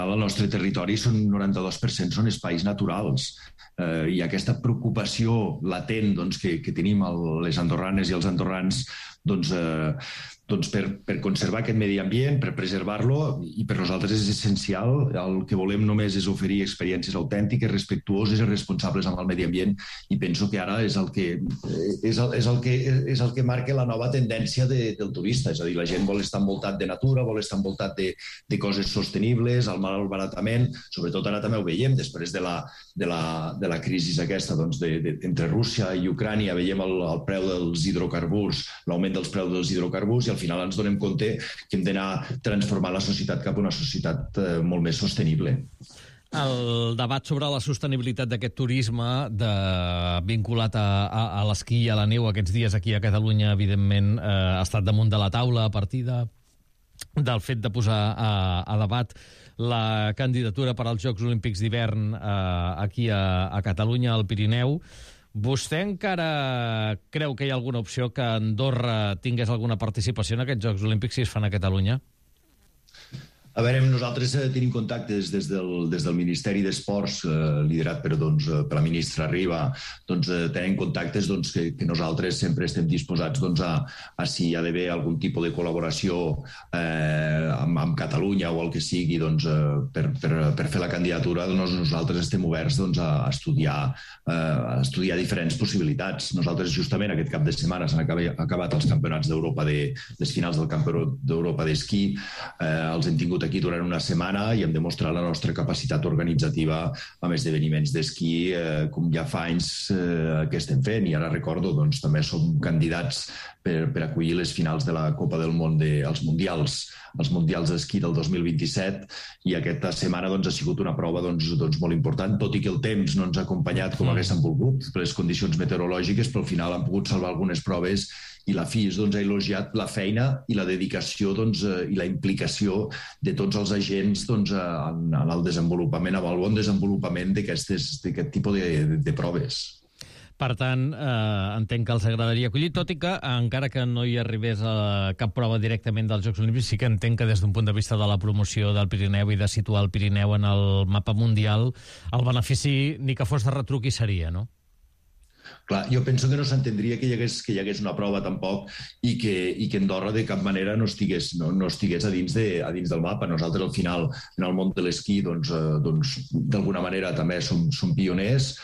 final el nostre territori són 92% són espais naturals. I aquesta preocupació latent que tenim les andorranes i els andorrans per conservar aquest medi ambient, per preservar-lo, i per nosaltres és essencial. El que volem només és oferir experiències autèntiques, respectuoses i responsables amb el medi ambient, i penso que ara és el que marca la nova tendència del turista. És a dir, la gent vol estar envoltat de natura, vol estar envoltat de coses sostenibles, el malbaratament, sobretot ara també ho veiem, després de la crisi aquesta entre Rússia i Ucrània, veiem el preu dels hidrocarburs, l'augment dels preus dels hidrocarburs, i al final ens donem compte que hem d'anar transformant la societat cap a una societat molt més sostenible. El debat sobre la sostenibilitat d'aquest turisme vinculat a l'esquí i a la neu aquests dies aquí a Catalunya, evidentment, ha estat damunt de la taula a partir del fet de posar a debat la candidatura per als Jocs Olímpics d'hivern aquí a Catalunya, al Pirineu. Vostè encara creu que hi ha alguna opció que Andorra tingués alguna participació en aquests Jocs Olímpics si es fan a Catalunya? A veure, nosaltres tenim contactes des del Ministeri d'Esports, liderat per la ministra Riba. Tenim contactes que nosaltres sempre estem disposats a si hi ha d'haver algun tipus de col·laboració amb Catalunya o el que sigui per fer la candidatura. Nosaltres estem oberts a estudiar diferents possibilitats. Nosaltres justament aquest cap de setmana s'han acabat els campionats d'Europa, les finals del campionat d'Europa d'esquí. Els hem tingut aquí durant una setmana i hem demostrat la nostra capacitat organitzativa amb esdeveniments d'esquí, com ja fa anys que estem fent. I ara recordo, també som candidats per acollir les finals de la Copa del Món, els Mundials d'esquí del 2027, i aquesta setmana ha sigut una prova molt important, tot i que el temps no ens ha acompanyat com haguéssim volgut per les condicions meteorològiques, però al final han pogut salvar algunes proves, i la FIS ha elogiat la feina i la dedicació i la implicació de tots els agents en el desenvolupament, amb el bon desenvolupament d'aquest tipus de proves. Per tant, entenc que els agradaria acollir, tot i que, encara que no hi arribés a cap prova directament dels Jocs Olímpics, sí que entenc que des d'un punt de vista de la promoció del Pirineu i de situar el Pirineu en el mapa mundial, el benefici, ni que fos de retruc, hi seria, no? Clar, jo penso que no s'entendria que hi hagués una prova tampoc i que Andorra de cap manera no estigués a dins del mapa. Nosaltres al final en el món de l'esquí d'alguna manera també som pioners,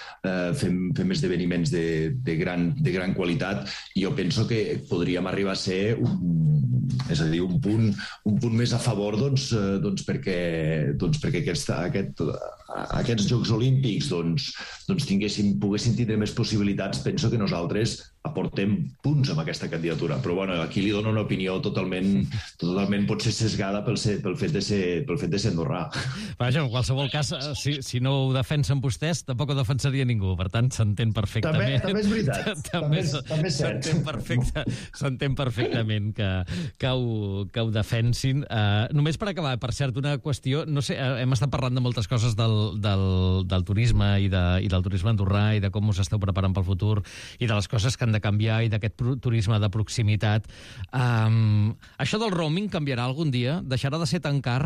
fem esdeveniments de gran qualitat, i jo penso que podríem arribar a ser un punt més a favor perquè aquests Jocs Olímpics poguessin tindre més possibilitats. Penso que nosaltres aportem punts amb aquesta candidatura, però aquí li dono una opinió totalment potser sesgada pel fet de ser andorrà. Vaja, en qualsevol cas, si no ho defensen vostès, tampoc ho defensaria ningú, per tant s'entén perfectament. També és veritat, també és cert. S'entén perfectament que ho defensin. Només per acabar, per cert, una qüestió, no sé, hem estat parlant de moltes coses del turisme i del turisme andorrà i de com us esteu preparant pel futur i de les coses que han de canviar i d'aquest turisme de proximitat. Això del roaming canviarà algun dia? Deixarà de ser tan car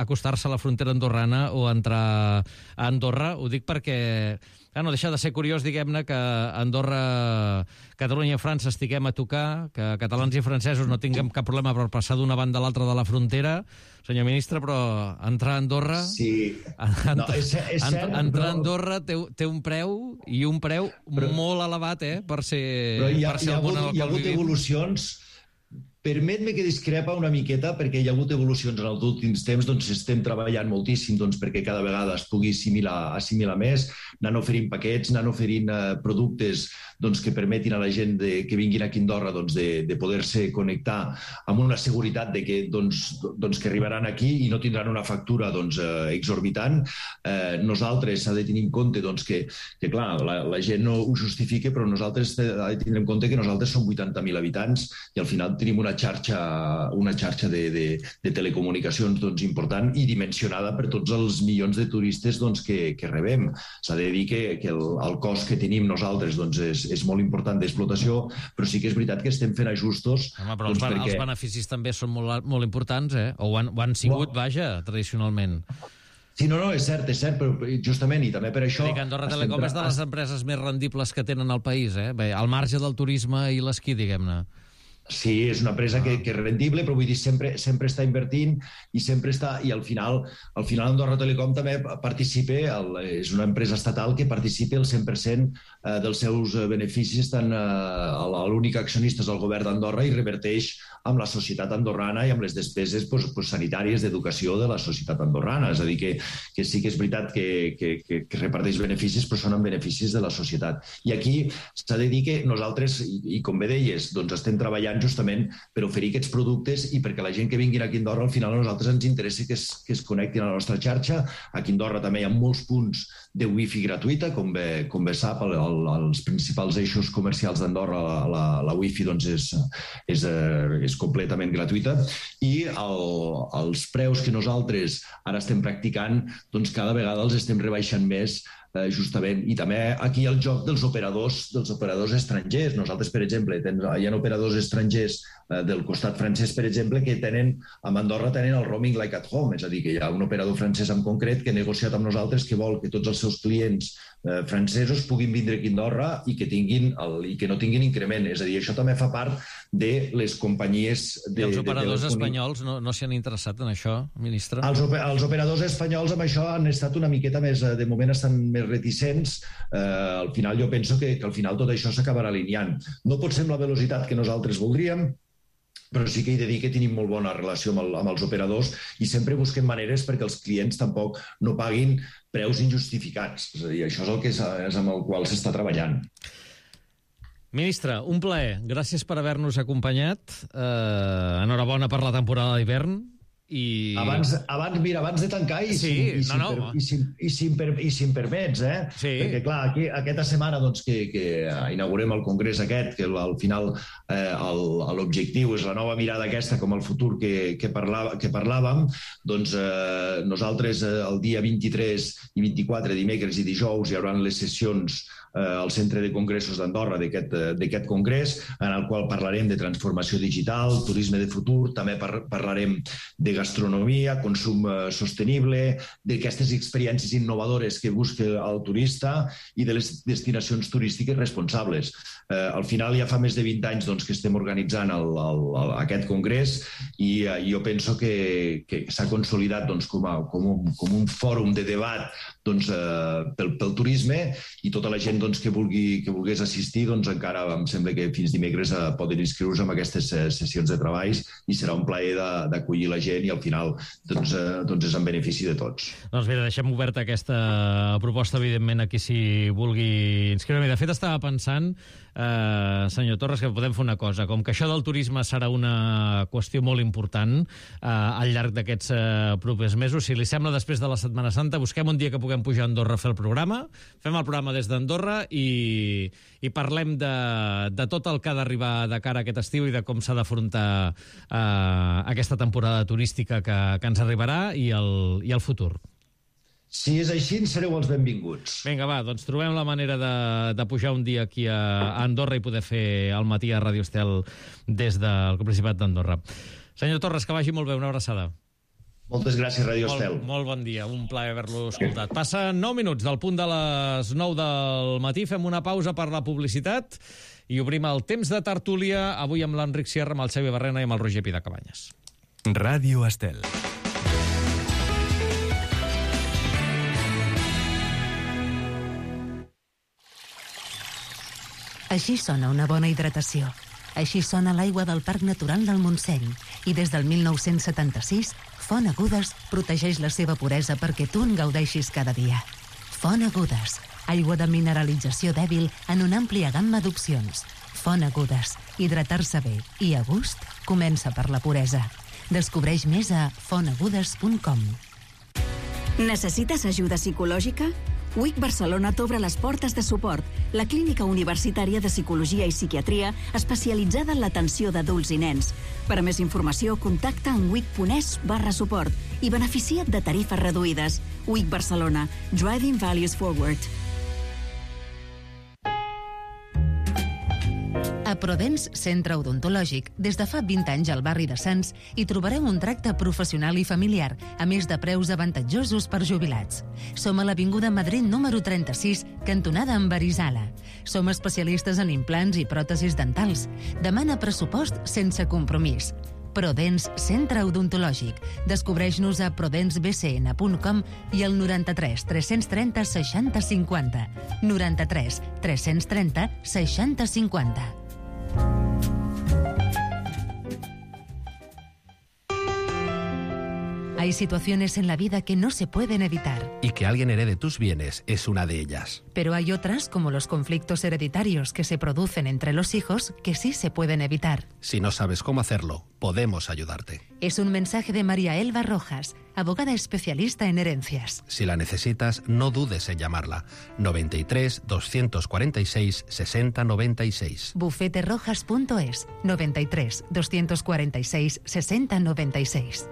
acostar-se a la frontera andorrana o entrar a Andorra? Ho dic perquè no deixa de ser curiós, diguem-ne, que Andorra, Catalunya i França estiguem a tocar, que catalans i francesos no tinguem cap problema per passar d'una banda a l'altra de la frontera. Senyor ministre, però entrar a Andorra... Sí. És cert, entrar a Andorra té un preu, i un preu molt elevat, per ser... Però hi ha hagut evolucions. Permet-me que discrepa una miqueta, perquè hi ha hagut evolucions en els últims temps, estem treballant moltíssim perquè cada vegada es pugui assimilar més, anant oferint paquets, anant oferint productes que permetin a la gent que vinguin aquí a Andorra de poder-se connectar amb una seguretat de que arribaran aquí i no tindran una factura exorbitant. Nosaltres s'ha de tenir en compte que clar, la gent no ho justifica, però nosaltres ha de tenir en compte que nosaltres som 80.000 habitants i al final tenim una xarxa de telecomunicacions important i dimensionada per tots els milions de turistes que rebem. S'ha de dir que el cost que tenim nosaltres és molt important d'explotació, però sí que és veritat que estem fent ajustos. Però els beneficis també són molt importants, o ho han sigut, vaja, tradicionalment. Sí, no, és cert, però justament, i també per això... Dic, Andorra Telecom és de les empreses més rendibles que tenen al país, Bé, al marge del turisme i l'esquí, diguem-ne. Sí, és una empresa que és rendible, però vull dir, sempre està invertint i sempre està... I al final Andorra Telecom també participa, és una empresa estatal que participa el 100% dels seus beneficis, tant l'únic accionista és el govern d'Andorra i reverteix amb la societat andorrana i amb les despeses sanitàries d'educació de la societat andorrana. És a dir, que sí que és veritat que reparteix beneficis, però són en beneficis de la societat. I aquí s'ha de dir que nosaltres, i com bé deies, doncs estem treballant justament per oferir aquests productes i perquè la gent que vingui aquí a Andorra, al final a nosaltres ens interessa que es connectin a la nostra xarxa. Aquí a Andorra també hi ha molts punts de wifi gratuïta, com bé sap, als principals eixos comercials d'Andorra la wifi doncs és completament gratuïta i els preus que nosaltres ara estem practicant, doncs cada vegada els estem rebaixant més, justament, i també aquí el joc dels operadors estrangers. Nosaltres, per exemple, hi ha operadors estrangers del costat francès, per exemple, que a Andorra tenen el roaming like at home, és a dir, que hi ha un operador francès en concret que ha negociat amb nosaltres que vol que tots els seus clients francesos puguin vindre aquí a Andorra i que no tinguin increment. És a dir, això també fa part de les companyies... I els operadors espanyols no s'hi han interessat en això, ministre? Els operadors espanyols amb això han estat una miqueta més... De moment estan més reticents. Al final jo penso que al final tot això s'acabarà alineant. No pot ser amb la velocitat que nosaltres voldríem, però sí que he de dir que tenim molt bona relació amb els operadors i sempre busquem maneres perquè els clients tampoc no paguin preus injustificats. És a dir, això és el que és amb el qual s'està treballant. Ministre, un plaer. Gràcies per haver-nos acompanyat. Enhorabona per la temporada d'hivern. Abans de tancar si em permets, sí. Perquè clar, aquí, aquesta setmana doncs, que inaugurem el congrés aquest, que al final l'objectiu és la nova mirada aquesta com el futur que parlàvem, doncs nosaltres el dia 23 i 24, dimecres i dijous, hi haurà les sessions al Centre de Congressos d'Andorra d'aquest congrés, en el qual parlarem de transformació digital, turisme de futur, també parlarem de gastronomia, consum sostenible, d'aquestes experiències innovadores que busca el turista i de les destinacions turístiques responsables. Al final ja fa més de 20 anys que estem organitzant aquest congrés i jo penso que s'ha consolidat com un fòrum de debat pel turisme i tota la gent que volgués assistir, encara em sembla que fins dimecres poden inscriure-se en aquestes sessions de treballs i serà un plaer d'acollir la gent i al final és en benefici de tots. Doncs bé, deixem oberta aquesta proposta, evidentment, a qui s'hi vulgui inscriure. De fet, estava pensant, senyor Torres, que podem fer una cosa. Com que això del turisme serà una qüestió molt important al llarg d'aquests propers mesos, si li sembla, després de la Setmana Santa, busquem un dia que puguem pujar a Andorra a fer el programa, fem el programa des d'Andorra i parlem de tot el que ha d'arribar de cara a aquest estiu i de com s'ha d'afrontar aquesta temporada turística que ens arribarà i el futur. Si és així, sereu els benvinguts. Vinga, va, doncs trobem la manera de pujar un dia aquí a Andorra i poder fer el matí a Ràdio Estel des del Principat d'Andorra. Senyor Torres, que vagi molt bé, una abraçada. Moltes gràcies, Ràdio Estel. Molt bon dia, un plaer haver-lo escoltat. Passa 9 minuts del punt de les 9 del matí, fem una pausa per la publicitat i obrim el temps de tertúlia, avui amb l'Enric Sierra, amb el Xavi Barrena i amb el Roger Pidacabanyes. Ràdio Estel. Així sona una bona hidratació. Així sona l'aigua del Parc Natural del Montseny. I des del 1976, Font Agudes protegeix la seva puresa perquè tu en gaudeixis cada dia. Font Agudes, aigua de mineralització dèbil en una àmplia gamma d'opcions. Font Agudes, hidratar-se bé i a gust comença per la puresa. Descobreix més a fontagudes.com. Necessites ajuda psicològica? WIC Barcelona t'obre les portes de suport, la clínica universitària de psicologia i psiquiatria especialitzada en l'atenció d'adults i nens. Per a més informació, contacta en wic.es/suport i beneficia't de tarifes reduïdes. WIC Barcelona, Driving Values Forward. Prodens Centre Odontològic, des de fa 20 anys al barri de Sants, hi trobareu un tracte professional i familiar, a més de preus avantatjosos per jubilats. Som a l'Avinguda Madrid número 36, cantonada amb Arizala. Som especialistes en implants i pròtesis dentals. Demana pressupost sense compromís. Prodens Centre Odontològic. Descobreix-nos a prodensbcn.com i al 93 330 60 50. 93 330 60 50. Hay situaciones en la vida que no se pueden evitar. Y que alguien herede tus bienes es una de ellas. Pero hay otras, como los conflictos hereditarios que se producen entre los hijos, que sí se pueden evitar. Si no sabes cómo hacerlo, podemos ayudarte. Es un mensaje de María Elba Rojas, abogada especialista en herencias. Si la necesitas, no dudes en llamarla. 93 246 60 96. Bufeterojas.es. 93 246 60 96.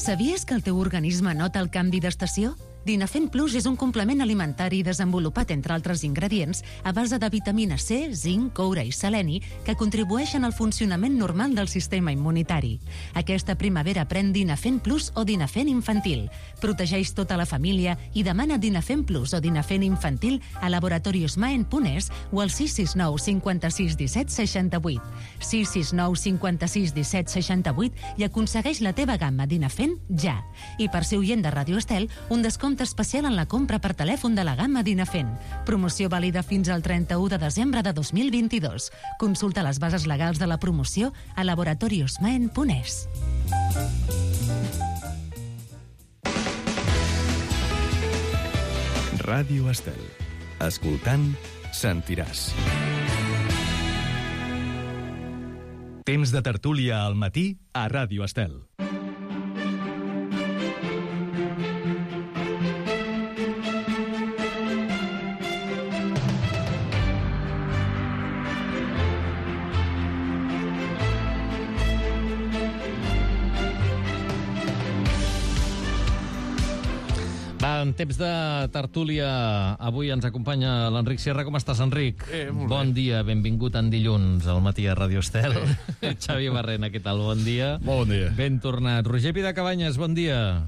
Sabies que el teu organisme nota el canvi d'estació? Dinafen Plus és un complement alimentari desenvolupat, entre altres ingredients, a base de vitamina C, zinc, coure i seleni, que contribueixen al funcionament normal del sistema immunitari. Aquesta primavera pren Dinafen Plus o Dinafen Infantil. Protegeix tota la família i demana Dinafen Plus o Dinafen Infantil a laboratoriosmaen.es o al 669 56 17 68. 669 56 17 68 i aconsegueix la teva gamma Dinafen ja. I per ser oient de Radio Estel, un descompte especial en la compra per telèfon de la gamma Dinafen. Promoció vàlida fins al 31 de desembre de 2022. Consulta les bases legals de la promoció a laboratoriosmaen.es. Ràdio Estel. Escoltant, sentiràs. Temps de tertúlia al matí a Ràdio Estel. En temps de tertúlia, avui ens acompanya l'Enric Sierra. Com estàs, Enric? Molt bé. Bon dia, benvingut en dilluns al matí a Radio Estel. Xavi Barrena, què tal? Bon dia. Bon dia. Ben tornat. Roger Pidacabanyes, bon dia.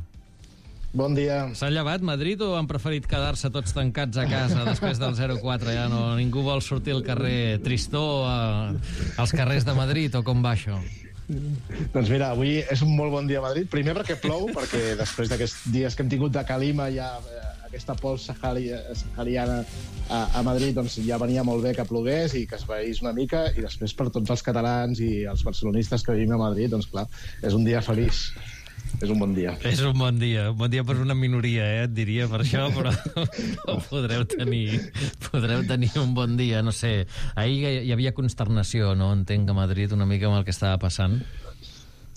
Bon dia. S'ha llevat Madrid o han preferit quedar-se tots tancats a casa després del 0-4? Ja no, ningú vol sortir al carrer tristor als carrers de Madrid, o com va això? Doncs mira, avui és un molt bon dia a Madrid. Primer perquè plou, perquè després d'aquests dies que hem tingut de calima, ja aquesta pols sahariana a Madrid, doncs ja venia molt bé que plogués i que es veís una mica, i després per tots els catalans i els barcelonistes que vivim a Madrid, doncs clar, és un dia feliç. És un bon dia. És un bon dia per una minoria, et diria, per això, però podreu tenir un bon dia, no sé. Ahir hi havia consternació, no? Entenc, a Madrid, una mica amb el que estava passant.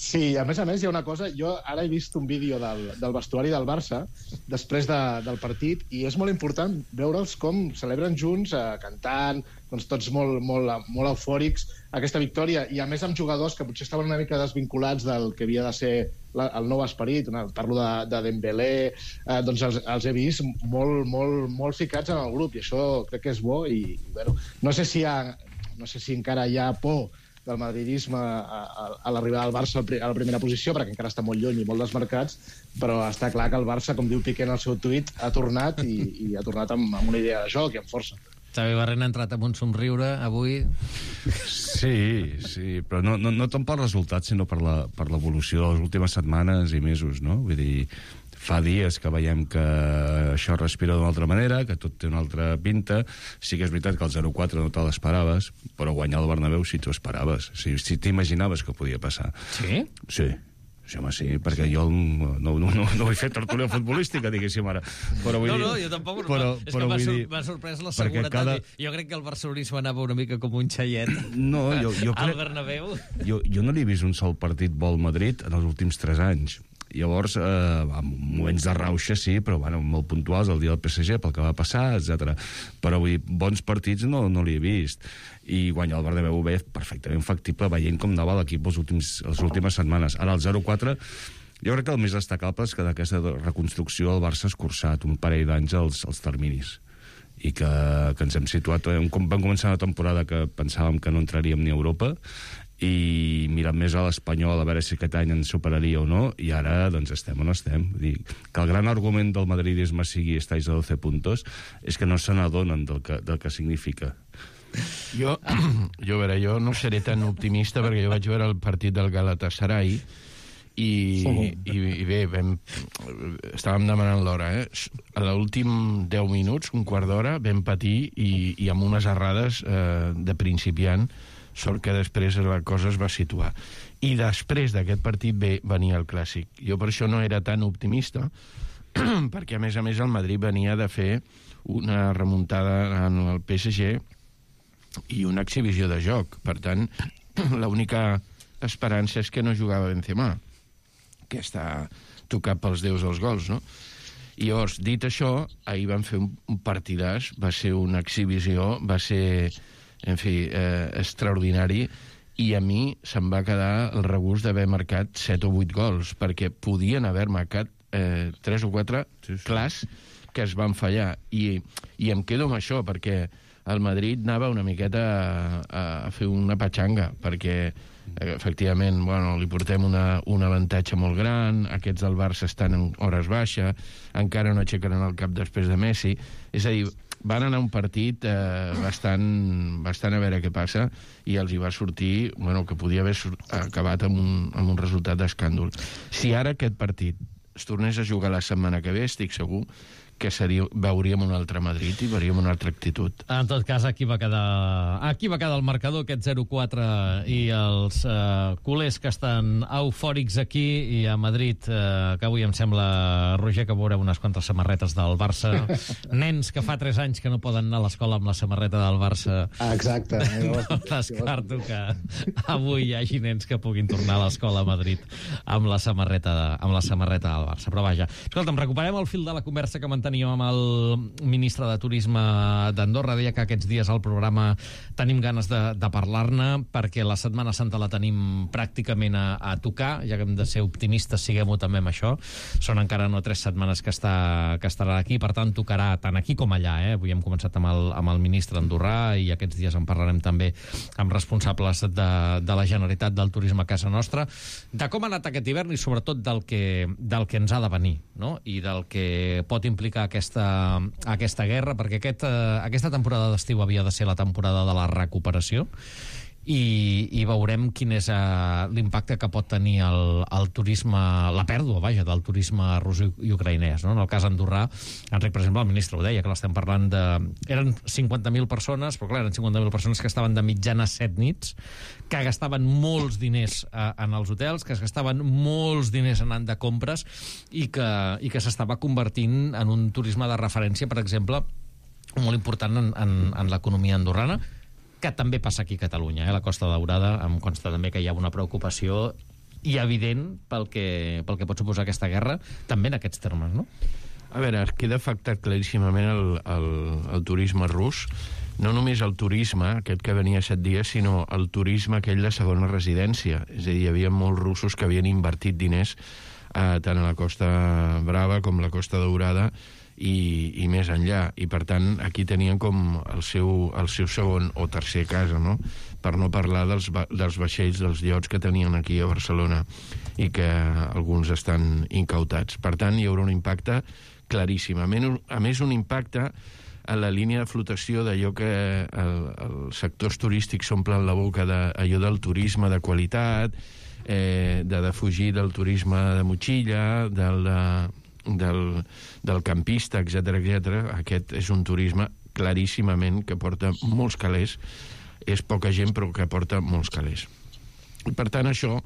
Sí, a més hi ha una cosa, jo ara he vist un vídeo del vestuari del Barça després del partit, i és molt important veure'ls com celebren junts, cantant, doncs tots molt eufòrics, aquesta victòria, i a més amb jugadors que potser estaven una mica desvinculats del que havia de ser el nou esperit. Parlo de Dembélé, doncs els he vist molt ficats en el grup, i això crec que és bo. I bueno, no sé si encara hi ha por del madridisme a l'arribada del Barça a la primera posició, perquè encara està molt lluny i molt desmarcats, però està clar que el Barça, com diu Piqué en el seu tuit, ha tornat i ha tornat amb una idea de joc i amb força. Xavi Barrena ha entrat amb un somriure avui. Sí, però no tant pel resultat, sinó per l'evolució de les últimes setmanes i mesos, no? Vull dir, fa dies que veiem que això respira d'una altra manera, que tot té una altra pinta. Sí que és veritat que el 0-4 no te l'esperaves, però guanyar el Bernabéu sí t'ho esperaves. Si t'imaginaves que podia passar. Sí? Sí. Sí, home, sí, perquè jo no he fet tertúlia futbolística, diguéssim ara. Però vull dir, jo tampoc. És que m'ha sorprès la seguretat. Jo crec que el barcelonisme anava una mica com un xaiet al Bernabéu. Jo no li he vist un sol partit bo al Madrid en els últims 3 anys. Llavors, moments de rauxa sí, però molt puntuals, el dia del PSG, pel que va passar, etc. Però vull dir, bons partits no l'hi he vist. I guanyar el Bernabéu bé, perfectament factible, veient com anava l'equip les últimes setmanes. Ara el 0-4, jo crec que el més destacable és que d'aquesta reconstrucció el Barça ha escurçat un parell d'anys els terminis. i que ens hem situat... Vam començar una temporada que pensàvem que no entraríem ni a Europa, i mirant més a l'Espanyol a veure si aquest any ens superaria o no, i ara doncs estem on estem. Vull dir, que el gran argument del madridisme sigui estáis a 12 puntos és que no se n'adonen del que significa. Jo no seré tan optimista perquè jo vaig veure el partit del Galatasaray i bé, estàvem demanant l'hora, a l'últim 10 minuts, un quart d'hora, vam patir i amb unes errades de principiant, sort que després la cosa es va situar. I després d'aquest partit venia el Clàssic. Jo per això no era tan optimista, perquè a més el Madrid venia de fer una remuntada en el PSG i una exhibició de joc. Per tant, l'única esperança és que no jugava Benzema, que està tocat pels déus dels gols, no? I llavors, dit això, ahir van fer un partidàs, va ser una exhibició, va ser, en fi, extraordinari, i a mi se'm va quedar el regust d'haver marcat 7 o 8 gols, perquè podien haver marcat 3 o 4 clars que es van fallar. I em quedo amb això, perquè el Madrid anava una miqueta a fer una patxanga, perquè efectivament, li portem un avantatge molt gran, aquests del Barça estan en hores baixa, encara no aixecaran el cap després de Messi, és a dir, van anar un partit bastant a veure què passa, i els hi va sortir, que podia haver acabat amb un resultat d'escàndol. Si ara aquest partit es tornés a jugar la setmana que ve, estic segur que veuríem un altre Madrid i veuríem una altra actitud. En tot cas, aquí va quedar el marcador, aquest 0-4, i els culers que estan eufòrics aquí, i a Madrid, que avui em sembla, Roger, que veureu unes quantes samarretes del Barça. Nens que fa 3 anys que no poden anar a l'escola amb la samarreta del Barça. Exacte. No descarto que avui hi hagi nens que puguin tornar a l'escola a Madrid amb la samarreta del Barça. Però vaja, escolta'm, recuperem el fil de la conversa que mantenim amb el ministre de Turisme d'Andorra. Deia que aquests dies al programa tenim ganes de parlar-ne, perquè la Setmana Santa la tenim pràcticament a tocar. Ja que hem de ser optimistes, siguem-ho també amb això. Són encara no 3 setmanes que estarà aquí, per tant tocarà tant aquí com allà. Avui hem començat amb el ministre andorrà, i aquests dies en parlarem també amb responsables de la Generalitat del Turisme a casa nostra, de com ha anat aquest hivern i sobretot del que ens ha de venir, no? I del que pot implicar aquesta guerra, perquè aquesta temporada d'estiu havia de ser la temporada de la recuperació, i veurem quin és l'impacte que pot tenir el turisme, la pèrdua, vaja, del turisme rus i ucraïnès, no? En el cas andorrà, Enric, per exemple, el ministre ho deia, que l'estem parlant eren 50.000 persones, però clar, eren 50.000 persones que estaven de mitjana 7 nits, que gastaven molts diners en els hotels, que es gastaven molts diners anant de compres, i que s'estava convertint en un turisme de referència, per exemple, molt important en l'economia andorrana, que també passa aquí a Catalunya, la Costa Daurada. Em consta també que hi ha una preocupació i evident pel que pot suposar aquesta guerra, també en aquests termes, no? A veure, queda afectat claríssimament el turisme rus, no només el turisme, aquest que venia 7 dies, sinó el turisme aquell de segona residència. És a dir, hi havia molts russos que havien invertit diners tant a la Costa Brava com a la Costa Daurada, i més enllà, i per tant aquí tenien com el seu segon o tercer casa, no? Per no parlar dels vaixells, dels iots que tenien aquí a Barcelona, i que alguns estan incautats. Per tant, hi haurà un impacte claríssim. A més, un impacte a la línia de flotació d'allò que els sectors turístics s'omplen la boca d'allò del turisme de qualitat, de defugir del turisme de motxilla, del campista, etc. Aquest és un turisme claríssimament que porta molts calés, és poca gent però que porta molts calés. I per tant això,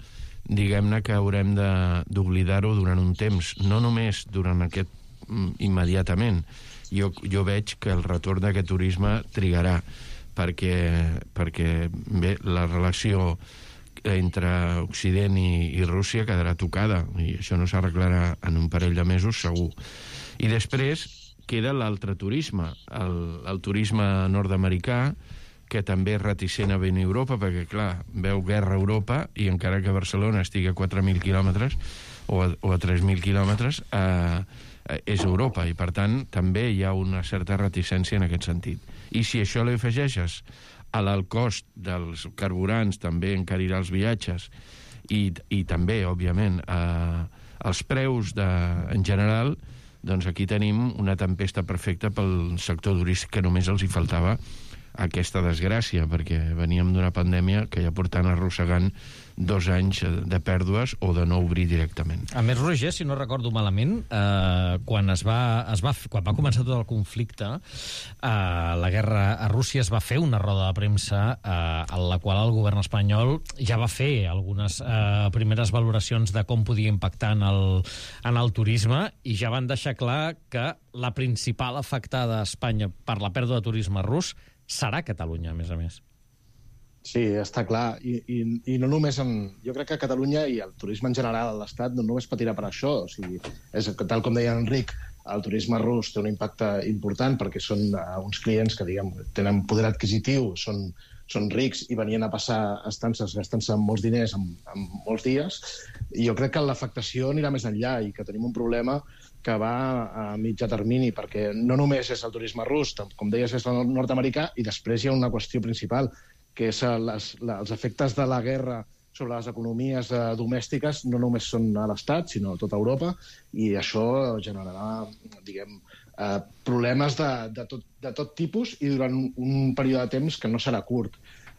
diguem-ne que haurem d'oblidar-ho durant un temps, no només durant aquest immediatament. Jo veig que el retorn d'aquest turisme trigarà, perquè bé, la relació entre Occident i Rússia quedarà tocada, i això no s'arreglarà en un parell de mesos segur. I després queda l'altre turisme, el turisme nord-americà, que també és reticent a venir a Europa, perquè, clar, veu guerra a Europa, i encara que Barcelona estigui a 4.000 quilòmetres, o a 3.000 quilòmetres, és Europa, i per tant també hi ha una certa reticència en aquest sentit. I si això li afegeixes a l'alt cost dels carburants, també encarirà els viatges, i també, òbviament, els preus en general, doncs aquí tenim una tempesta perfecta pel sector turístic, que només els hi faltava aquesta desgràcia, perquè veníem d'una pandèmia que ja portant arrossegant 2 anys de pèrdues o de no obrir directament. A més, Roger, si no recordo malament, quan va començar tot el conflicte, la guerra a Rússia, es va fer una roda de premsa en la qual el govern espanyol ja va fer algunes primeres valoracions de com podia impactar en el turisme, i ja van deixar clar que la principal afectada a Espanya per la pèrdua de turisme rus serà Catalunya, a més. Sí, està clar. I no només jo crec que Catalunya i el turisme en general a l'Estat no només patirà per això. O sigui, tal com deia Enric, el turisme rus té un impacte important perquè són uns clients que, diguem, tenen poder adquisitiu, són rics i venien a passar estances gastant-se molts diners en molts dies. I jo crec que l'afectació anirà més enllà i que tenim un problema que va a mitjà termini, perquè no només és el turisme rus, com deies, és el nord-americà, i després hi ha una qüestió principal, que és els efectes de la guerra sobre les economies domèstiques no només són a l'Estat, sinó a tota Europa, i això generarà, diguem, problemes de tot tipus i durant un període de temps que no serà curt.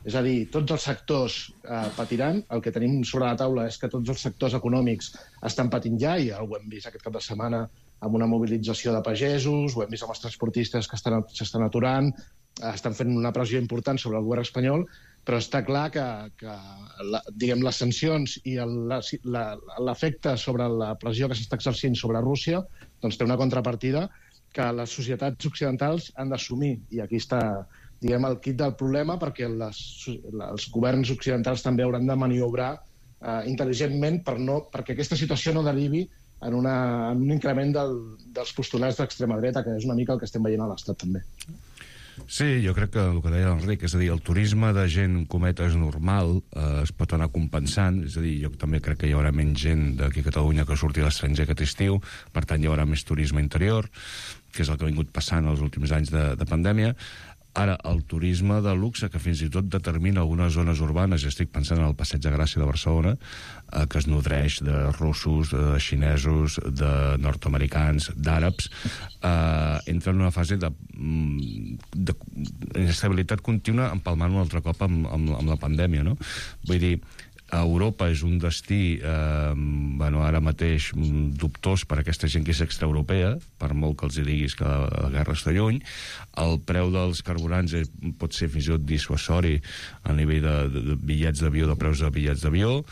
És a dir, tots els sectors patiran. El que tenim sobre la taula és que tots els sectors econòmics estan patint ja, i ho hem vist aquest cap de setmana amb una mobilització de pagesos, ho hem vist amb els transportistes que s'estan aturant, estan fent una pressió important sobre el govern espanyol, però està clar que diguem, les sancions i l'efecte sobre la pressió que s'està exercint sobre Rússia doncs té una contrapartida que les societats occidentals han d'assumir. I aquí està, diguem, el quid del problema, perquè els governs occidentals també hauran de maniobrar intel·ligentment perquè aquesta situació no derivi en un increment dels postulats d'extrema dreta, que és una mica el que estem veient a l'Estat també. Sí, jo crec que el que deia l'Enric, és a dir, el turisme de gent, cometes, normal, es pot anar compensant, és a dir, jo també crec que hi haurà menys gent d'aquí a Catalunya que surti a l'estranger aquest estiu, per tant hi haurà més turisme interior, que és el que ha vingut passant els últims anys de pandèmia. Ara, el turisme de luxe, que fins i tot determina algunes zones urbanes, ja estic pensant en el Passeig de Gràcia de Barcelona, que es nodreix de russos, de xinesos, de nord-americans, d'àrabs, entra en una fase d'inestabilitat contínua, empalmant un altre cop amb la pandèmia, no? Vull dir, Europa és un destí ara mateix dubtós per a aquesta gent que és extraeuropea, per molt que els diguis que la guerra està lluny. El preu dels carburants pot ser fins i tot dissuasori a nivell de bitllets d'avió, de preus de bitllets d'avió,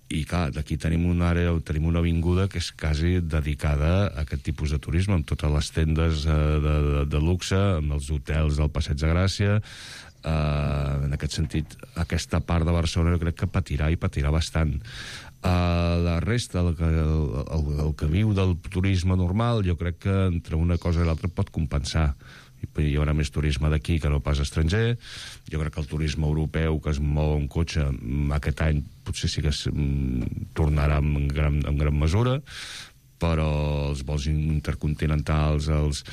i clar, d'aquí tenim una àrea, tenim una avinguda que és quasi dedicada a aquest tipus de turisme, amb totes les tendes de luxe, amb els hotels del Passeig de Gràcia. En aquest sentit, aquesta part de Barcelona jo crec que patirà i patirà bastant. La resta, el que viu del turisme normal, jo crec que entre una cosa i l'altra pot compensar. Hi haurà més turisme d'aquí que no pas estranger. Jo crec que el turisme europeu que es mou en cotxe aquest any potser sí que tornarà en gran mesura, però els vols intercontinentals, els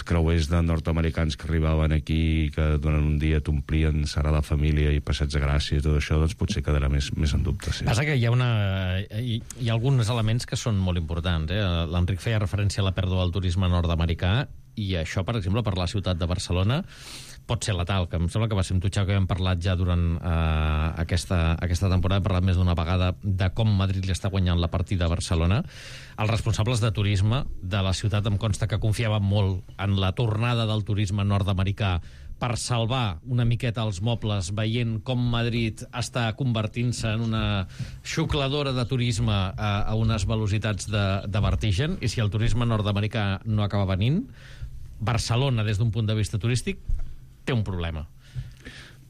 creuers de nord-americans que arribaven aquí, que durant un dia t'omplien Sagrada Família i Passeig de Gràcia i tot això, doncs potser quedarà més en dubte. Sí. Passa que hi ha alguns elements que són molt importants. L'Enric feia referència a la pèrdua del turisme nord-americà, i això, per exemple, per la ciutat de Barcelona pot ser letal, que em sembla que va ser un tutxau que hem parlat ja durant aquesta temporada, hem parlat més d'una vegada de com Madrid li està guanyant la partida a Barcelona. Els responsables de turisme de la ciutat em consta que confiaven molt en la tornada del turisme nord-americà per salvar una miqueta els mobles, veient com Madrid està convertint-se en una xucladora de turisme a unes velocitats de vertigen, i si el turisme nord-americà no acaba venint, Barcelona, des d'un punt de vista turístic, té un problema.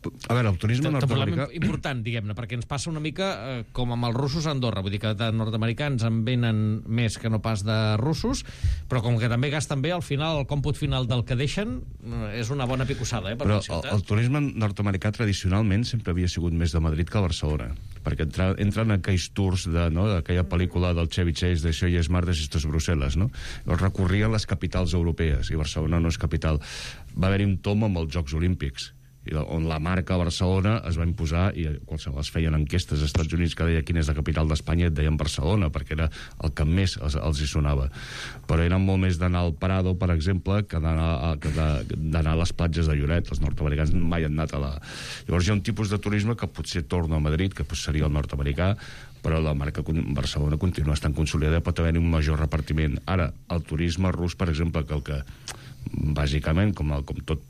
A veure, el turisme nord-americà... Important, diguem-ne, perquè ens passa una mica com amb els russos a Andorra. Vull dir que de nord-americans en venen més que no pas de russos, però com que també gasten bé, al final, el còmput final del que deixen és una bona picossada, per però la ciutat. El turisme nord-americà tradicionalment sempre havia sigut més de Madrid que a Barcelona, perquè entren aquells tours d'aquella pel·lícula del Chevy Chase de Això ja és martes, esto és Brussel·les, no? Recorrien les capitals europees, i Barcelona no és capital. Va haver-hi un tom amb els Jocs Olímpics, on la marca Barcelona es va imposar, i qualsevol es feien enquestes als Estats Units que deia quina és la capital d'Espanya, et deien Barcelona, perquè era el que més els hi sonava. Però eren molt més d'anar al Prado, per exemple, que d'anar a les platges de Lloret. Els nord-americans mai han anat a la... Llavors hi ha un tipus de turisme que potser torna a Madrid, que seria el nord-americà, però la marca Barcelona continua estant consolidada, pot haver-hi un major repartiment. Ara, el turisme rus, per exemple, que bàsicament, com tot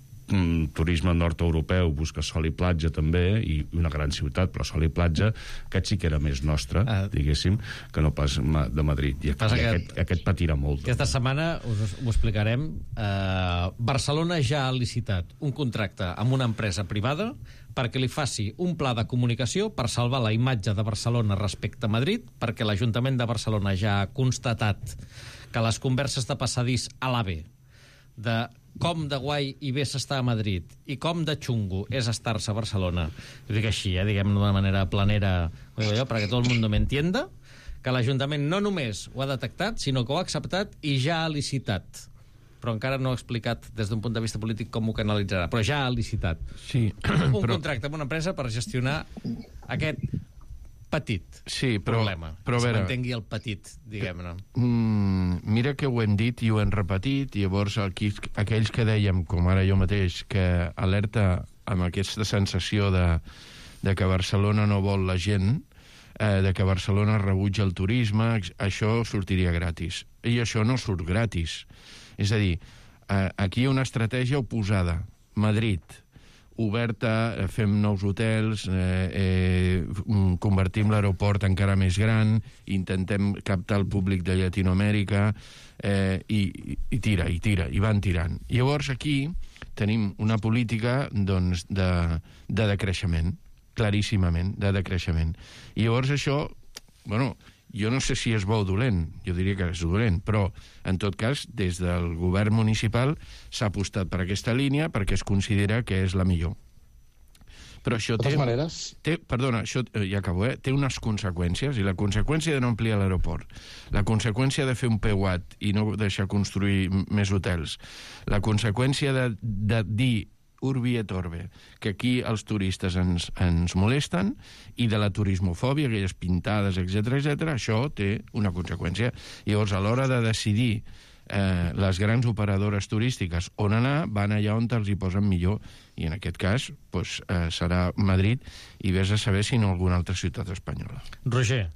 turisme nord-europeu busca sol i platja també, i una gran ciutat, però sol i platja, aquest sí que era més nostre, diguéssim, que no pas de Madrid, i aquest patirà molt. Aquesta setmana ho explicarem. Barcelona ja ha licitat un contracte amb una empresa privada perquè li faci un pla de comunicació per salvar la imatge de Barcelona respecte a Madrid, perquè l'Ajuntament de Barcelona ja ha constatat que les converses de passadís a l'AVE de com de guai i bé s'està a Madrid i com de xungo és estar-se a Barcelona, ho dic així, diguem d'una manera planera, perquè tot el món me entienda, que l'Ajuntament no només ho ha detectat, sinó que ho ha acceptat i ja ha licitat. Però encara no ha explicat des d'un punt de vista polític com ho canalitzarà, però ja ha licitat. Sí, contracte amb una empresa per gestionar aquest petit problema. Però que se m'entengui el petit, diguem-ne. Mira que ho hem dit i ho hem repetit, i llavors aquells que dèiem, com ara jo mateix, que alerta amb aquesta sensació de que Barcelona no vol la gent, de que Barcelona rebutja el turisme, això sortiria gratis. I això no surt gratis. És a dir, aquí hi ha una estratègia oposada. Madrid, oberta, fem nous hotels, convertim l'aeroport encara més gran, intentem captar el públic de Llatinoamèrica, i tira, i van tirant. Llavors aquí tenim una política doncs, de decreixement, claríssimament, de decreixement. I llavors això, jo no sé si és bo o dolent, jo diria que és dolent, però, en tot cas, des del govern municipal s'ha apostat per aquesta línia perquè es considera que és la millor. Però això ja acabo, té unes conseqüències, i la conseqüència de no ampliar l'aeroport, la conseqüència de fer un PEUAT i no deixar construir més hotels, la conseqüència de dir urbi et orbe, que aquí els turistes ens molesten, i de la turismofòbia, aquelles pintades, etc., això té una conseqüència. Llavors, a l'hora de decidir les grans operadores turístiques on anar, van allà on els hi posen millor, i en aquest cas serà Madrid, i vés a saber si no alguna altra ciutat espanyola. Roger.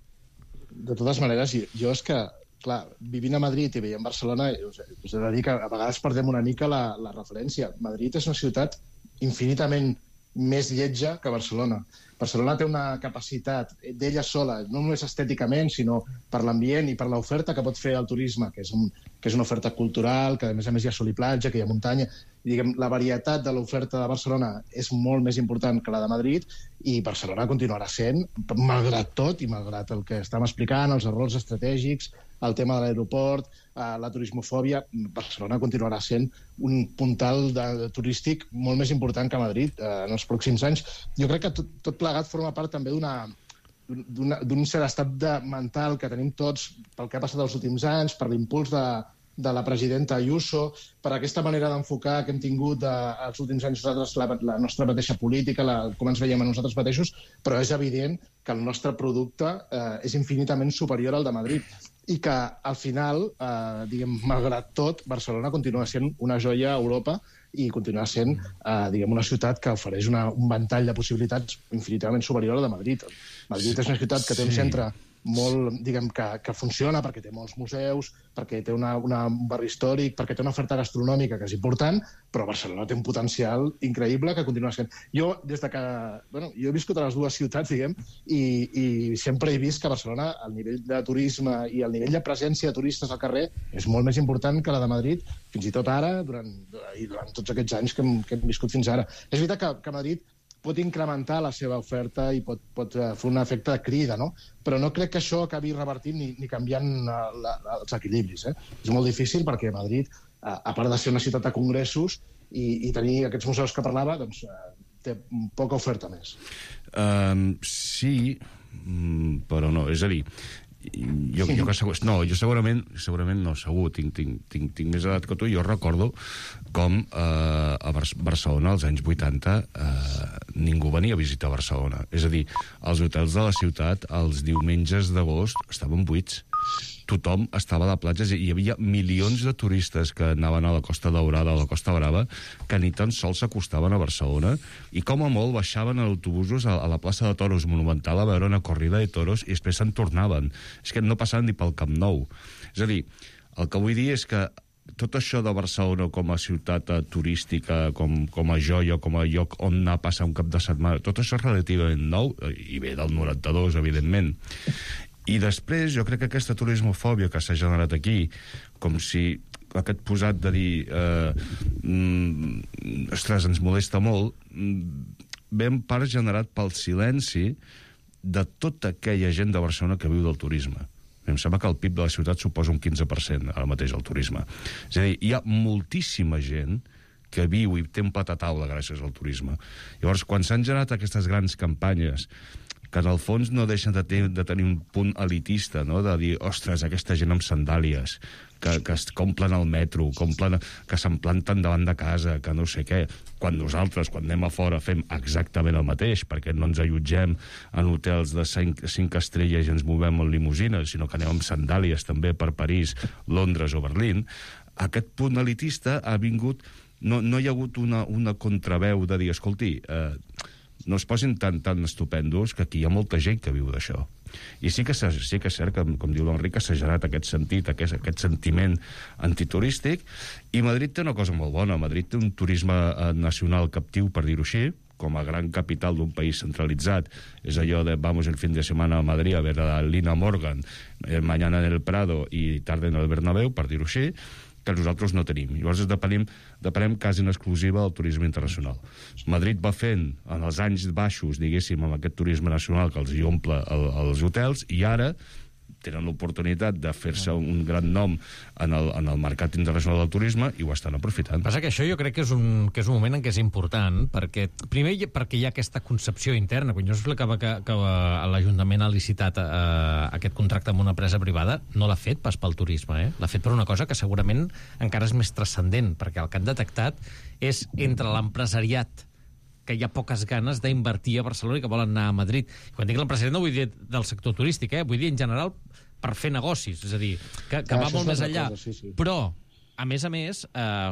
De totes maneres, jo és que clar, vivint a Madrid i veient Barcelona, us he de dir que a vegades perdem una mica la referència. Madrid és una ciutat infinitament més lletja que Barcelona. Barcelona té una capacitat d'ella sola, no només estèticament, sinó per l'ambient i per l'oferta que pot fer el turisme, que és una oferta cultural, que a més hi ha sol i platja, que hi ha muntanya. I, la varietat de l'oferta de Barcelona és molt més important que la de Madrid, i Barcelona continuarà sent, malgrat tot i malgrat el que estem explicant, els errors estratègics, el tema de l'aeroport, la turismofòbia, Barcelona continuarà sent un puntal turístic molt més important que Madrid en els pròxims anys. Jo crec que tot plegat forma part també d'un cert estat mental que tenim tots pel que ha passat els últims anys, per l'impuls de la presidenta Ayuso, per aquesta manera d'enfocar que hem tingut els últims anys nosaltres, la nostra mateixa política, com ens veiem a nosaltres mateixos, però és evident que el nostre producte és infinitament superior al de Madrid, i que al final, malgrat tot, Barcelona continua sent una joia a Europa i continua sent una ciutat que ofereix un ventall de possibilitats infinitament superior a la de Madrid. Madrid és una ciutat que té un centre molt, que funciona perquè té molts museus, perquè té un barri històric, perquè té una oferta gastronòmica que és important, però Barcelona té un potencial increïble que continua sent. Jo, des de que... jo he viscut a les dues ciutats, i sempre he vist que a Barcelona el nivell de turisme i el nivell de presència de turistes al carrer és molt més important que la de Madrid, fins i tot ara, durant tots aquests anys que hem viscut fins ara. És veritat que Madrid pot incrementar la seva oferta i pot fer un efecte de crida, no? Però no crec que això acabi revertint ni canviant els equilibris. És molt difícil perquè Madrid, a part de ser una ciutat de congressos i tenir aquests museus que parlava, doncs té poca oferta més. Sí, però no. És a dir, jo segurament no, segur, tinc més edat que tu. Jo recordo com a Barcelona als anys 80 ningú venia a visitar Barcelona. És a dir, els hotels de la ciutat els diumenges d'agost estaven buits. Tothom estava a la platja, hi havia milions de turistes que anaven a la Costa Daurada o a la Costa Brava que ni tan sols s'acostaven a Barcelona i com a molt baixaven en autobusos a la plaça de Toros Monumental a veure una corrida de toros i després se'n tornaven. És que no passaven ni pel Camp Nou. És a dir, el que vull dir és que tot això de Barcelona com a ciutat turística, com a joia, com a lloc on anar a passar un cap de setmana, tot això és relativament nou, i ve del 92, evidentment. I després, jo crec que aquesta turismofòbia que s'ha generat aquí, com si aquest posat de dir ostres, ens molesta molt, ve en part generat pel silenci de tota aquella gent de Barcelona que viu del turisme. Em sembla que el PIB de la ciutat suposa un 15% ara mateix el turisme. És a dir, hi ha moltíssima gent que viu i té un plat a taula gràcies al turisme. Llavors, quan s'han generat aquestes grans campanyes que en el fons no deixen de tenir un punt elitista, no? De dir, ostres, aquesta gent amb sandàlies, que es complen al metro, que se'n planten davant de casa, que no sé què, quan nosaltres, quan anem a fora, fem exactament el mateix, perquè no ens allotgem en hotels de 5 estrelles i ens movem en limusines, sinó que anem amb sandàlies també per París, Londres o Berlín. Aquest punt elitista ha vingut... No hi ha hagut una contraveu de dir, escolti, no es posin tan estupendos, que aquí hi ha molta gent que viu d'això. I sí que és cert que, com diu l'Enric, s'ha generat aquest sentit, aquest sentiment antiturístic, i Madrid té una cosa molt bona. Madrid té un turisme nacional captiu, per dir-ho així, com a gran capital d'un país centralitzat. És allò de vamos el fin de semana a Madrid a ver a Lina Morgan, mañana en el Prado y tarde en el Bernabéu, per dir-ho així, que nosaltres no tenim. Llavors depenem quasi en exclusiva del turisme internacional. Madrid va fent, en els anys baixos, diguéssim, amb aquest turisme nacional que els hi omple els hotels, i ara tenen l'oportunitat de fer-se un gran nom en el mercat internacional del turisme i ho estan aprofitant. Passa que això jo crec que és un moment en què és important, perquè primer perquè hi ha aquesta concepció interna. Quan jo explicava que l'Ajuntament ha licitat aquest contracte amb una empresa privada, no l'ha fet pas pel turisme, l'ha fet per una cosa que segurament encara és més transcendent, perquè el que han detectat és entre l'empresariat que hi ha poques ganes d'invertir a Barcelona i que volen anar a Madrid. Quan dic l'empresariat no vull dir del sector turístic, vull dir en general per fer negocis, és a dir, que va molt més enllà. Sí. Però, a més,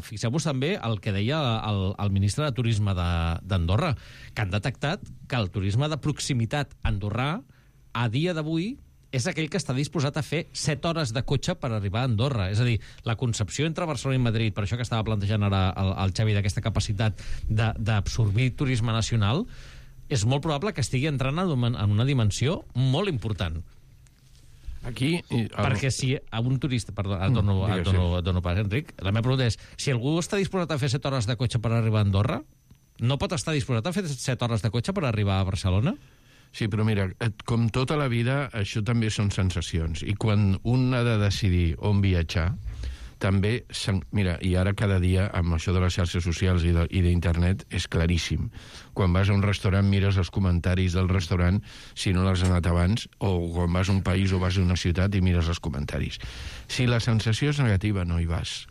fixeu-vos també el que deia el ministre de Turisme d'Andorra, que han detectat que el turisme de proximitat andorrà, a dia d'avui, és aquell que està disposat a fer 7 hores de cotxe per arribar a Andorra. És a dir, la concepció entre Barcelona i Madrid, per això que estava plantejant ara el Xavi d'aquesta capacitat d'absorbir turisme nacional, és molt probable que estigui entrant en una dimensió molt important. Aquí... Perquè si a un turista... Perdó, dono pas, Enric. La meva pregunta és, si algú està disposat a fer 7 hores de cotxe per arribar a Andorra, no pot estar disposat a fer 7 hores de cotxe per arribar a Barcelona? Sí, però mira, com tota la vida, això també són sensacions. I quan un ha de decidir on viatjar, també... Mira, i ara cada dia, amb això de les xarxes socials i d'internet, és claríssim. Quan vas a un restaurant, mires els comentaris del restaurant, si no l'has anat abans, o quan vas a un país o vas a una ciutat i mires els comentaris. Si la sensació és negativa, no hi vas.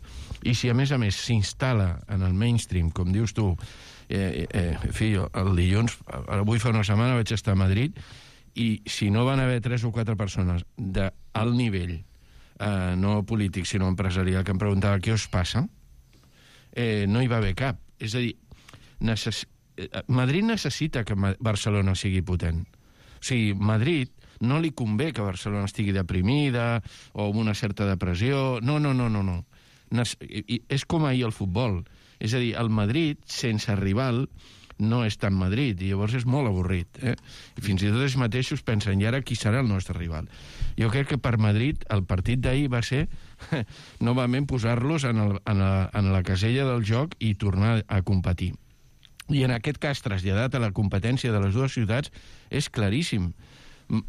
I si, a més, s'instal·la en el mainstream, com dius tu, el dilluns, avui fa una setmana vaig estar a Madrid i si no van haver 3 o 4 persones d'alt nivell, no polític sinó empresarial, que em preguntava què us passa, no hi va haver cap. És a dir, Madrid necessita que Barcelona sigui potent. O sigui, Madrid no li convé que Barcelona estigui deprimida o amb una certa depressió. No. És com ahir el futbol. És a dir, el Madrid, sense rival, no és tan Madrid, i llavors és molt avorrit. I fins i tot ells mateixos pensen, i ara qui serà el nostre rival? Jo crec que per Madrid el partit d'ahir va ser novament posar-los en la casella del joc i tornar a competir. I en aquest cas, traslladat a la competència de les dues ciutats, és claríssim.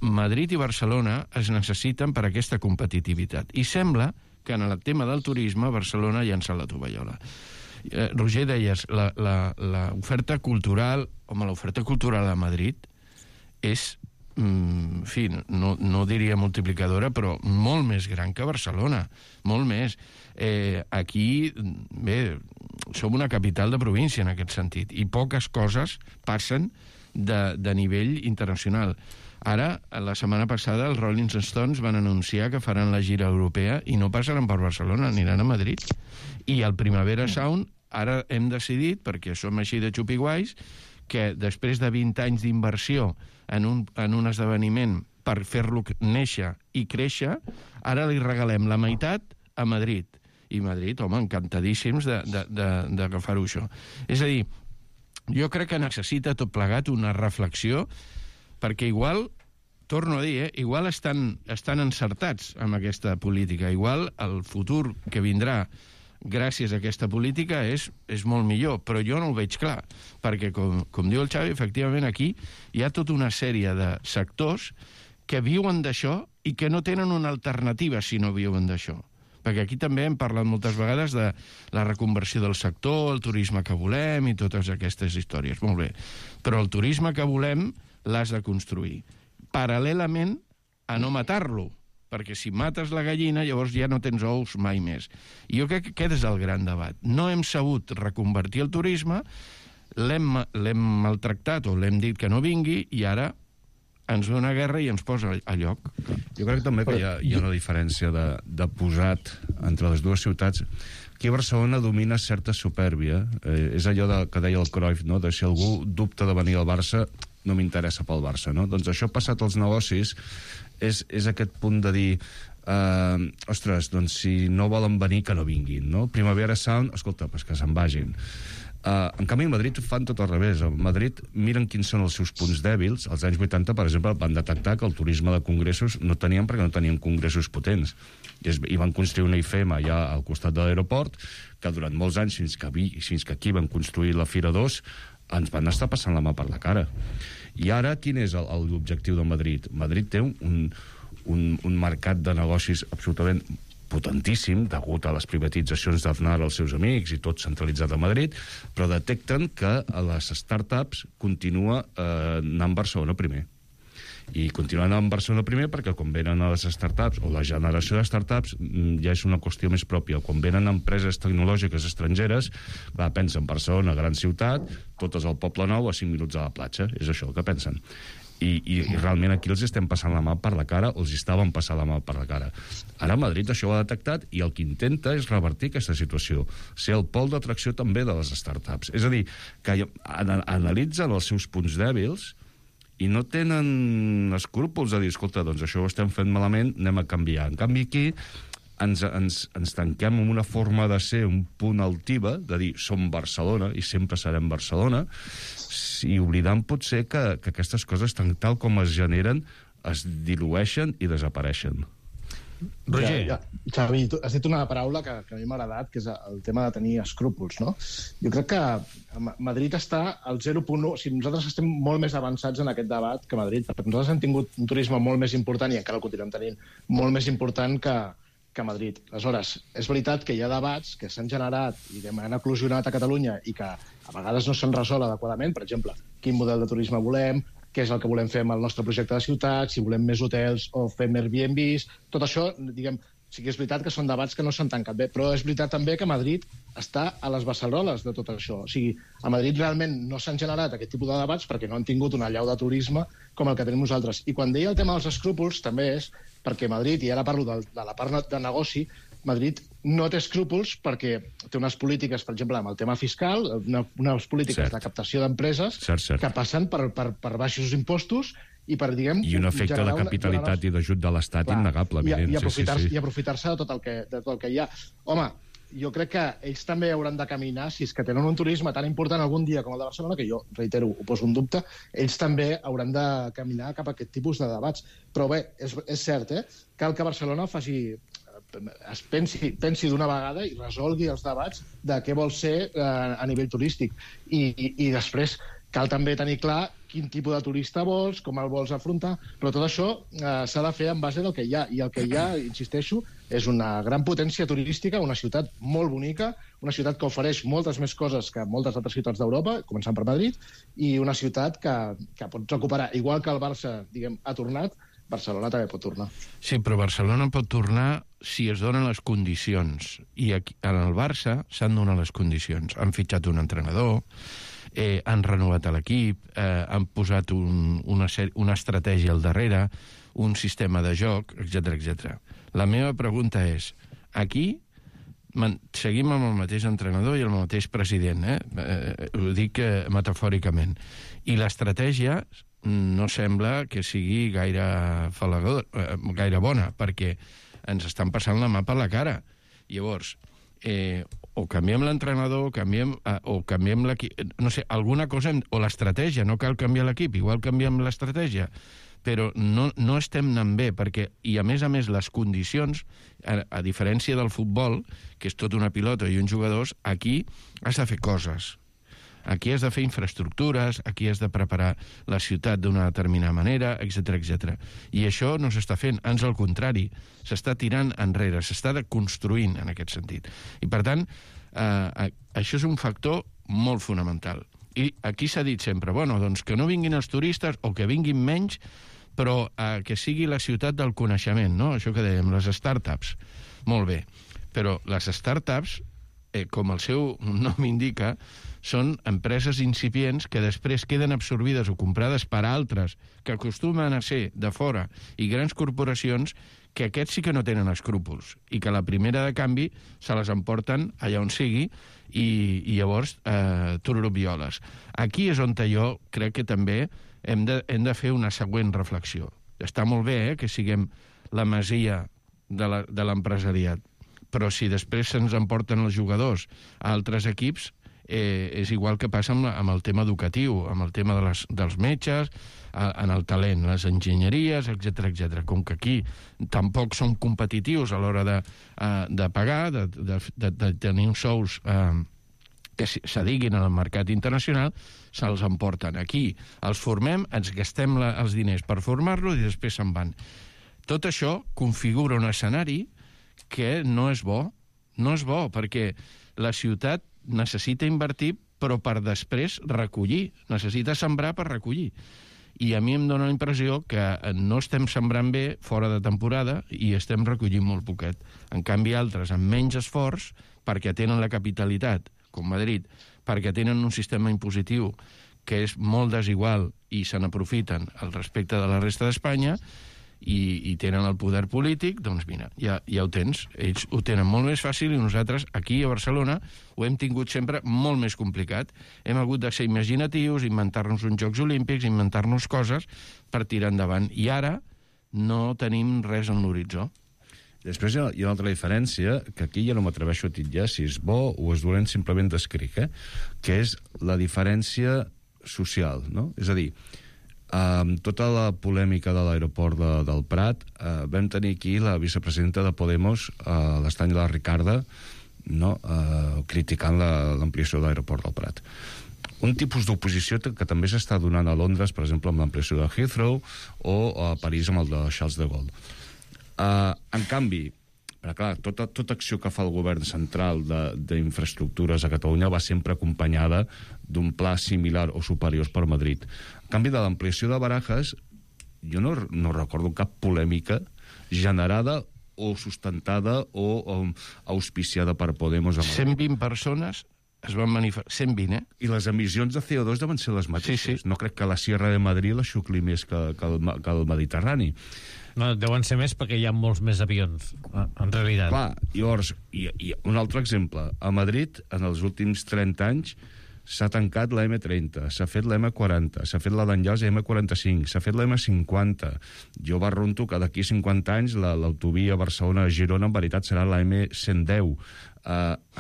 Madrid i Barcelona es necessiten per a aquesta competitivitat. I sembla que en el tema del turisme Barcelona ha llançat la tovallola. Roger, deies, l'oferta cultural, l'oferta cultural a Madrid és, en fi, no diria multiplicadora, però molt més gran que Barcelona, molt més. Aquí, bé, som una capital de província en aquest sentit, i poques coses passen de nivell internacional. Ara, la setmana passada, els Rolling Stones van anunciar que faran la gira europea i no passaran per Barcelona, aniran a Madrid. I al Primavera Sound, ara hem decidit, perquè som així de xupiguais, que després de 20 anys d'inversió en un esdeveniment per fer-lo néixer i créixer, ara li regalem la meitat a Madrid. I Madrid, home, encantadíssims d'agafar-ho això. És a dir, jo crec que necessita tot plegat una reflexió, perquè igual, torno a dir, igual estan encertats amb aquesta política. Igual el futur que vindrà gràcies a aquesta política és molt millor, però jo no ho veig clar, perquè, com diu el Xavi, efectivament aquí hi ha tota una sèrie de sectors que viuen d'això i que no tenen una alternativa si no viuen d'això. Perquè aquí també hem parlat moltes vegades de la reconversió del sector, el turisme que volem i totes aquestes històries. Molt bé, però el turisme que volem l'has de construir paral·lelament a no matar-lo, perquè si mates la gallina llavors ja no tens ous mai més. I jo crec que aquest és el gran debat. No hem sabut reconvertir el turisme, l'hem maltractat o l'hem dit que no vingui i ara ens ve una guerra i ens posa a lloc. Jo crec també que hi ha una diferència de posat entre les dues ciutats. Aquí a Barcelona domina certa supèrbia. És allò que deia el Cruyff, no? De si algú dubta de venir al Barça, no m'interessa pel Barça, no? Doncs això passat als negocis és aquest punt de dir ostres, doncs si no volen venir que no vinguin, no? Primavera Sound, escolta, pues que se'n vagin. En canvi, a Madrid fan tot al revés. A Madrid miren quins són els seus punts dèbils. Als anys 80, per exemple, van detectar que el turisme de congressos no tenien perquè no tenien congressos potents. I van construir una IFEM allà al costat de l'aeroport, que durant molts anys, fins que aquí van construir la Fira 2, ens van estar passant la mà per la cara. I ara, quin és l'objectiu de Madrid? Madrid té un mercat de negocis absolutament potentíssim, degut a les privatitzacions d'Aznar als seus amics i tot centralitzat a Madrid, però detecten que a les startups continua anant a Barcelona primer. I continuen anant a Barcelona primer perquè quan venen a les startups, o la generació de startups, ja és una qüestió més pròpia. Quan venen empreses tecnològiques estrangeres, clar, pensen Barcelona, gran ciutat, totes al Poble Nou, a 5 minuts a la platja. És això el que pensen. I realment aquí els estem passant la mà per la cara, o els estaven passant la mà per la cara. Ara Madrid això ho ha detectat i el que intenta és revertir aquesta situació, ser el pol d'atracció també de les startups. És a dir, que analitzen els seus punts dèbils i no tenen escrúpols a dir, escolta, doncs això ho estem fent malament, anem a canviar. En canvi aquí ens tanquem en una forma de ser un punt altiva, de dir som Barcelona i sempre serem Barcelona, i oblidant potser que aquestes coses tal com es generen es dilueixen i desapareixen. Roger. Xavi, tu has dit una paraula que a mi m'ha agradat, que és el tema de tenir escrúpols, no? Jo crec que Madrid està al 0.1, o sigui, nosaltres estem molt més avançats en aquest debat que Madrid, perquè nosaltres hem tingut un turisme molt més important, i encara el continuem tenint, molt més important que Madrid. Aleshores, és veritat que hi ha debats que s'han generat i que han eclosionat a Catalunya i que a vegades no s'han resolt adequadament. Per exemple, quin model de turisme volem, què és el que volem fer amb el nostre projecte de ciutat, si volem més hotels o fem Airbnbs. Tot això, diguem, sí que és veritat que són debats que no s'han tancat bé, però és veritat també que Madrid està a les beceroles de tot això. O sigui, a Madrid realment no s'han generat aquest tipus de debats perquè no han tingut una allau de turisme com el que tenim nosaltres. I quan deia el tema dels escrúpols també és perquè Madrid, i ara parlo de la part de negoci, Madrid no té escrúpols perquè té unes polítiques, per exemple, amb el tema fiscal, unes polítiques de captació d'empreses que passen per baixos impostos i per, diguem... I un efecte de capitalitat i d'ajut de l'Estat innegable, evident. I aprofitar-se de tot el que hi ha. Home, jo crec que ells també hauran de caminar, si és que tenen un turisme tan important algun dia com el de Barcelona, que jo, reitero, ho poso en dubte, ells també hauran de caminar cap a aquest tipus de debats. Però bé, és cert, cal que Barcelona faci es pensi d'una vegada i resolgui els debats de què vol ser a nivell turístic. I després cal també tenir clar quin tipus de turista vols, com el vols afrontar, però tot això s'ha de fer en base del que hi ha. I el que hi ha, insisteixo, és una gran potència turística, una ciutat molt bonica, una ciutat que ofereix moltes més coses que moltes altres ciutats d'Europa, començant per Madrid, i una ciutat que pot recuperar. Igual que el Barça, diguem, ha tornat, Barcelona també pot tornar. Sí, però Barcelona pot tornar si es donen les condicions. I aquí, en el Barça s'han donat les condicions. Han fitxat un entrenador, han renovat l'equip, han posat una estratègia al darrere, un sistema de joc, etc. La meva pregunta és, aquí seguim amb el mateix entrenador i el mateix president, ho dic metafòricament, i l'estratègia no sembla que sigui gaire bona, perquè ens estan passant la mà per la cara. Llavors, o canviem l'entrenador, o canviem l'equip, no sé, alguna cosa, o l'estratègia, no cal canviar l'equip, igual canviem l'estratègia, però no estem anant bé, perquè, i a més, les condicions, a diferència del futbol, que és tot una pilota i uns jugadors, aquí has de fer coses. Aquí has de fer infraestructures, aquí has de preparar la ciutat d'una determinada manera, etc. I això no s'està fent, ans al contrari, s'està tirant enrere, s'està construint en aquest sentit. I per tant, això és un factor molt fonamental. I aquí s'ha dit sempre, bueno, doncs que no vinguin els turistes o que vinguin menys, però que sigui la ciutat del coneixement, no? Això que dèiem, les startups. Molt bé, però les startups, com el seu nom indica, són empreses incipients que després queden absorbides o comprades per altres que acostumen a ser de fora i grans corporacions que aquests sí que no tenen escrúpols i que la primera de canvi se les emporten allà on sigui i llavors tururubioles. Aquí és on jo crec que també hem de fer una següent reflexió. Està molt bé que siguem la masia de l'empresariat, però si després se'ns emporten els jugadors a altres equips, és igual que passa amb el tema educatiu, amb el tema dels metges, en el talent, les enginyeries, etc. Com que aquí tampoc som competitius a l'hora de pagar, de tenir uns sous que s'adiguin al mercat internacional, se'ls emporten. Aquí els formem, ens gastem els diners per formar-los i després se'n van. Tot això configura un escenari que no és bo, perquè la ciutat necessita invertir, però per després recollir. Necessita sembrar per recollir. I a mi em dóna la impressió que no estem sembrant bé fora de temporada i estem recollint molt poquet. En canvi, altres amb menys esforç, perquè tenen la capitalitat, com Madrid, perquè tenen un sistema impositiu que és molt desigual i se n'aprofiten al respecte de la resta d'Espanya, i tenen el poder polític, doncs mira, ja ho tens. Ells ho tenen molt més fàcil i nosaltres aquí a Barcelona ho hem tingut sempre molt més complicat. Hem hagut de ser imaginatius, inventar-nos uns Jocs Olímpics, inventar-nos coses per tirar endavant. I ara no tenim res en l'horitzó. Després hi ha una altra diferència, que aquí ja no m'atreveixo a titllar si és bo o és dolent, simplement descric, que és la diferència social, no? És a dir, tota la polèmica de l'aeroport del Prat, vam tenir aquí la vicepresidenta de Podemos, l'Estany de la Ricarda, no? Criticant l'ampliació de l'aeroport del Prat. Un tipus d'oposició que també s'està donant a Londres, per exemple, amb l'ampliació de Heathrow, o a París amb el de Charles de Gaulle. En canvi, clar, tota acció que fa el govern central d'infraestructures a Catalunya va sempre acompanyada d'un pla similar o superior per Madrid. En canvi, de l'ampliació de Barajas, jo no recordo cap polèmica generada o sustentada o auspiciada per Podemos. 120 persones es van manifestar, 120, I les emissions de CO2 deuen ser les mateixes. Sí. No crec que la Sierra de Madrid la xucli més que el Mediterrani. No, deuen ser més perquè hi ha molts més avions, en realitat. Clar, llavors, i un altre exemple. A Madrid, en els últims 30 anys, s'ha tancat la M30, s'ha fet la M40, s'ha fet la d'Enllaç i M45, s'ha fet la M50. Jo barrunto que d'aquí 50 anys l'autovia Barcelona-Girona en veritat serà la M110.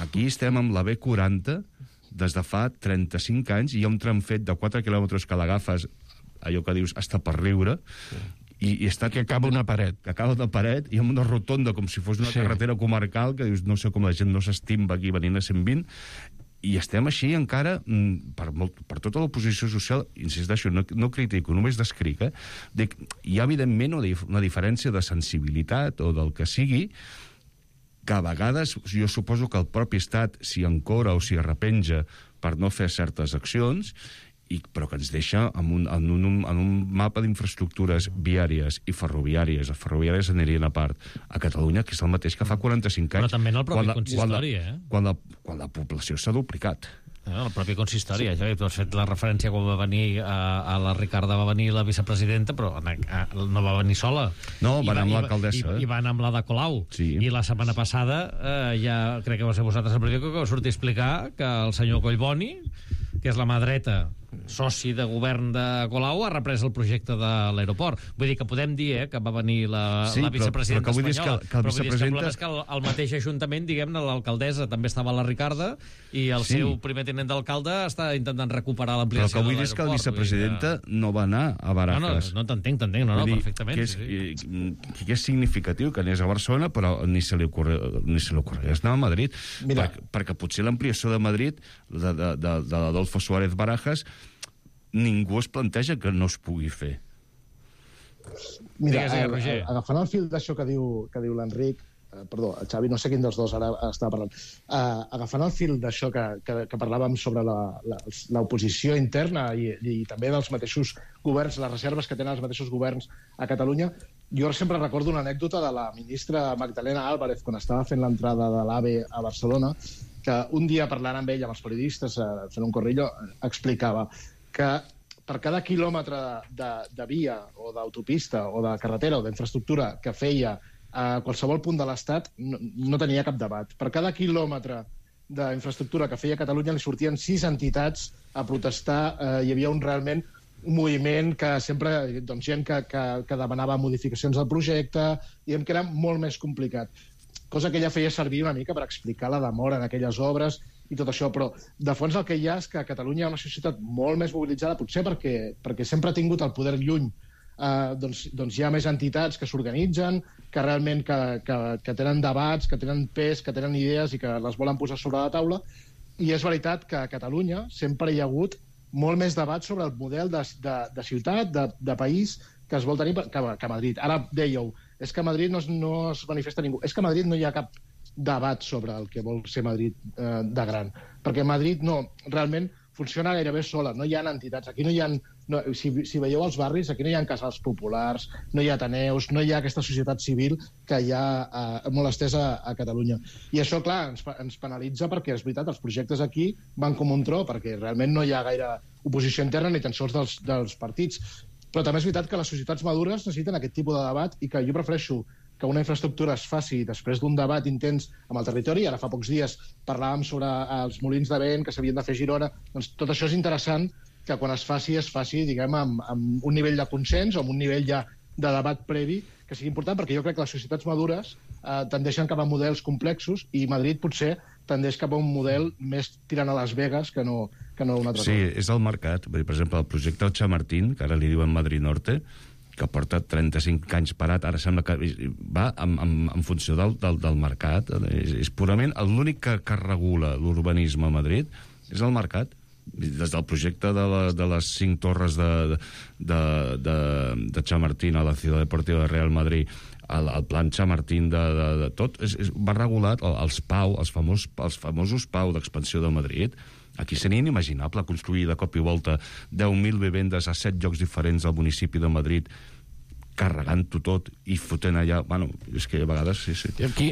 Aquí estem amb la B40 des de fa 35 anys i hi ha un tram fet de 4 quilòmetres que l'agafes, allò que dius, està per riure, i està... Que acaba una paret. Que acaba una paret i amb una rotonda, com si fos una carretera comarcal, que dius, no sé com la gent no s'estimba aquí venint a 120, i estem així encara, per tota l'oposició social, insisteixo, no critico, només descric, hi ha evidentment una diferència de sensibilitat o del que sigui, que a vegades jo suposo que el propi estat s'hi encora o s'hi arrepenja per no fer certes accions, però que ens deixa en un mapa d'infraestructures viàries i ferroviàries. Les ferroviàries anirien a part. A Catalunya, que és el mateix que fa 45 anys. Però també en el propi consistori, quan la població s'ha duplicat. El propi consistori, ja tu has fet la referència quan va venir a la Ricarda, va venir la vicepresidenta, però no va venir sola. No, va anar amb l'alcaldessa. I va anar amb la de Colau. Sí. I la setmana passada, ja crec que va ser vosaltres el periòdic que va sortir a explicar que el senyor Collboni, que és la mà dreta, soci de govern de Colau, ha reprès el projecte de l'aeroport. Vull dir que podem dir que va venir la vicepresidenta espanyola, però el problema és que el mateix Ajuntament, diguem-ne, l'alcaldessa també estava a la Ricarda i el seu primer tinent d'alcalde està intentant recuperar l'ampliació de l'aeroport. Però que vull dir és que la vicepresidenta no va anar a Barajas. No t'entenc, perfectament. Que és significatiu que anés a Barcelona, però ni se li ocorregués anar a Madrid, perquè potser l'ampliació de Madrid, de l'Adolfo Suárez Barajas, ningú es planteja que no es pugui fer. Mira, agafant el fil d'això que diu l'Enric, perdó, el Xavi, no sé quin dels dos ara estava parlant, agafant el fil d'això que parlàvem sobre l'oposició interna i també dels mateixos governs, les reserves que tenen els mateixos governs a Catalunya, jo sempre recordo una anècdota de la ministra Magdalena Álvarez quan estava fent l'entrada de l'AVE a Barcelona, que un dia parlant amb ell, amb els periodistes, fent un corrillo, explicava que per cada quilòmetre de via o d'autopista o de carretera o d'infraestructura que feia a qualsevol punt de l'Estat no tenia cap debat. Per cada quilòmetre d'infraestructura que feia Catalunya li sortien 6 entitats a protestar. Hi havia realment un moviment que sempre, gent que demanava modificacions del projecte, diguem que era molt més complicat. Cosa que ella feia servir una mica per explicar la demora en aquelles obres i tot això, però de fons el que hi ha és que a Catalunya hi ha una societat molt més mobilitzada, potser perquè sempre ha tingut el poder lluny. Doncs hi ha més entitats que s'organitzen, que realment que tenen debats, que tenen pes, que tenen idees i que les volen posar sobre la taula, i és veritat que a Catalunya sempre hi ha hagut molt més debat sobre el model de ciutat, de país, que es vol tenir que a Madrid. Ara dèieu, és que a Madrid no es manifesta ningú. És que a Madrid no hi ha cap debat sobre el que vol ser Madrid de gran. Perquè Madrid realment funciona gairebé sola. No hi ha entitats. Aquí no hi ha... Si veieu els barris, aquí no hi ha casals populars, no hi ha ateneus, no hi ha aquesta societat civil que hi ha molt estesa a Catalunya. I això, clar, ens penalitza perquè, és veritat, els projectes aquí van com un tro, perquè realment no hi ha gaire oposició interna ni tan sols dels partits. Però també és veritat que les societats madures necessiten aquest tipus de debat i que jo prefereixo que una infraestructura es faci després d'un debat intens amb el territori. Ara fa pocs dies parlàvem sobre els molins de vent que s'havien de fer a Girona. Doncs tot això és interessant que quan es faci, diguem, amb un nivell de consens o amb un nivell ja de debat previ que sigui important, perquè jo crec que les societats madures tendeixen cap a models complexos i Madrid potser tendeix cap a un model més tirant a Las Vegas que no un altre. Sí, és el mercat. Per exemple, el projecte del Chamartín, que ara li diuen Madrid Norte, que porta 35 anys parat, ara sembla que va en funció del mercat. És purament l'únic que regula l'urbanisme a Madrid és el mercat. Des del projecte de les 5 torres de Chamartín a la Ciutat Deportiva de Real Madrid, el plan Chamartín de tot, va regulat els PAU, els famosos PAU d'expansió de Madrid. Aquí seria inimaginable construir de cop i volta 10.000 vivendes a 7 llocs diferents al municipi de Madrid, carregant-ho tot i fotent allà... Bueno, és que a vegades... Sí. Aquí,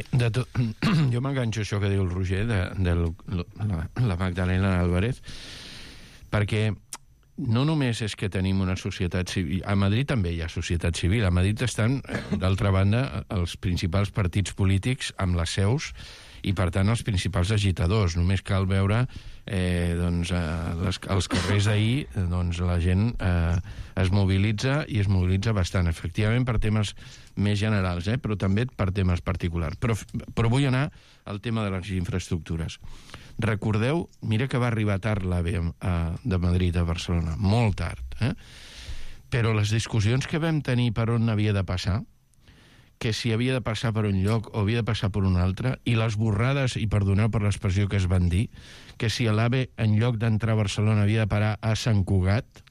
jo m'enganxo això que diu el Roger, de la Magdalena Álvarez, perquè no només és que tenim una societat civil... A Madrid també hi ha societat civil. A Madrid estan, d'altra banda, els principals partits polítics amb les seus i, per tant, els principals agitadors. Només cal veure als carrers ahir, la gent es mobilitza i es mobilitza bastant, efectivament, per temes més generals, però també per temes particulars. Però vull anar al tema de les infraestructures. Recordeu, mira que va arribar tard l'AVE de Madrid a Barcelona, molt tard. però les discussions que vam tenir per on havia de passar, que si havia de passar per un lloc o havia de passar per un altre, i les borrades, i perdoneu per l'expressió que es van dir, que si l'AVE en lloc d'entrar a Barcelona havia de parar a Sant Cugat,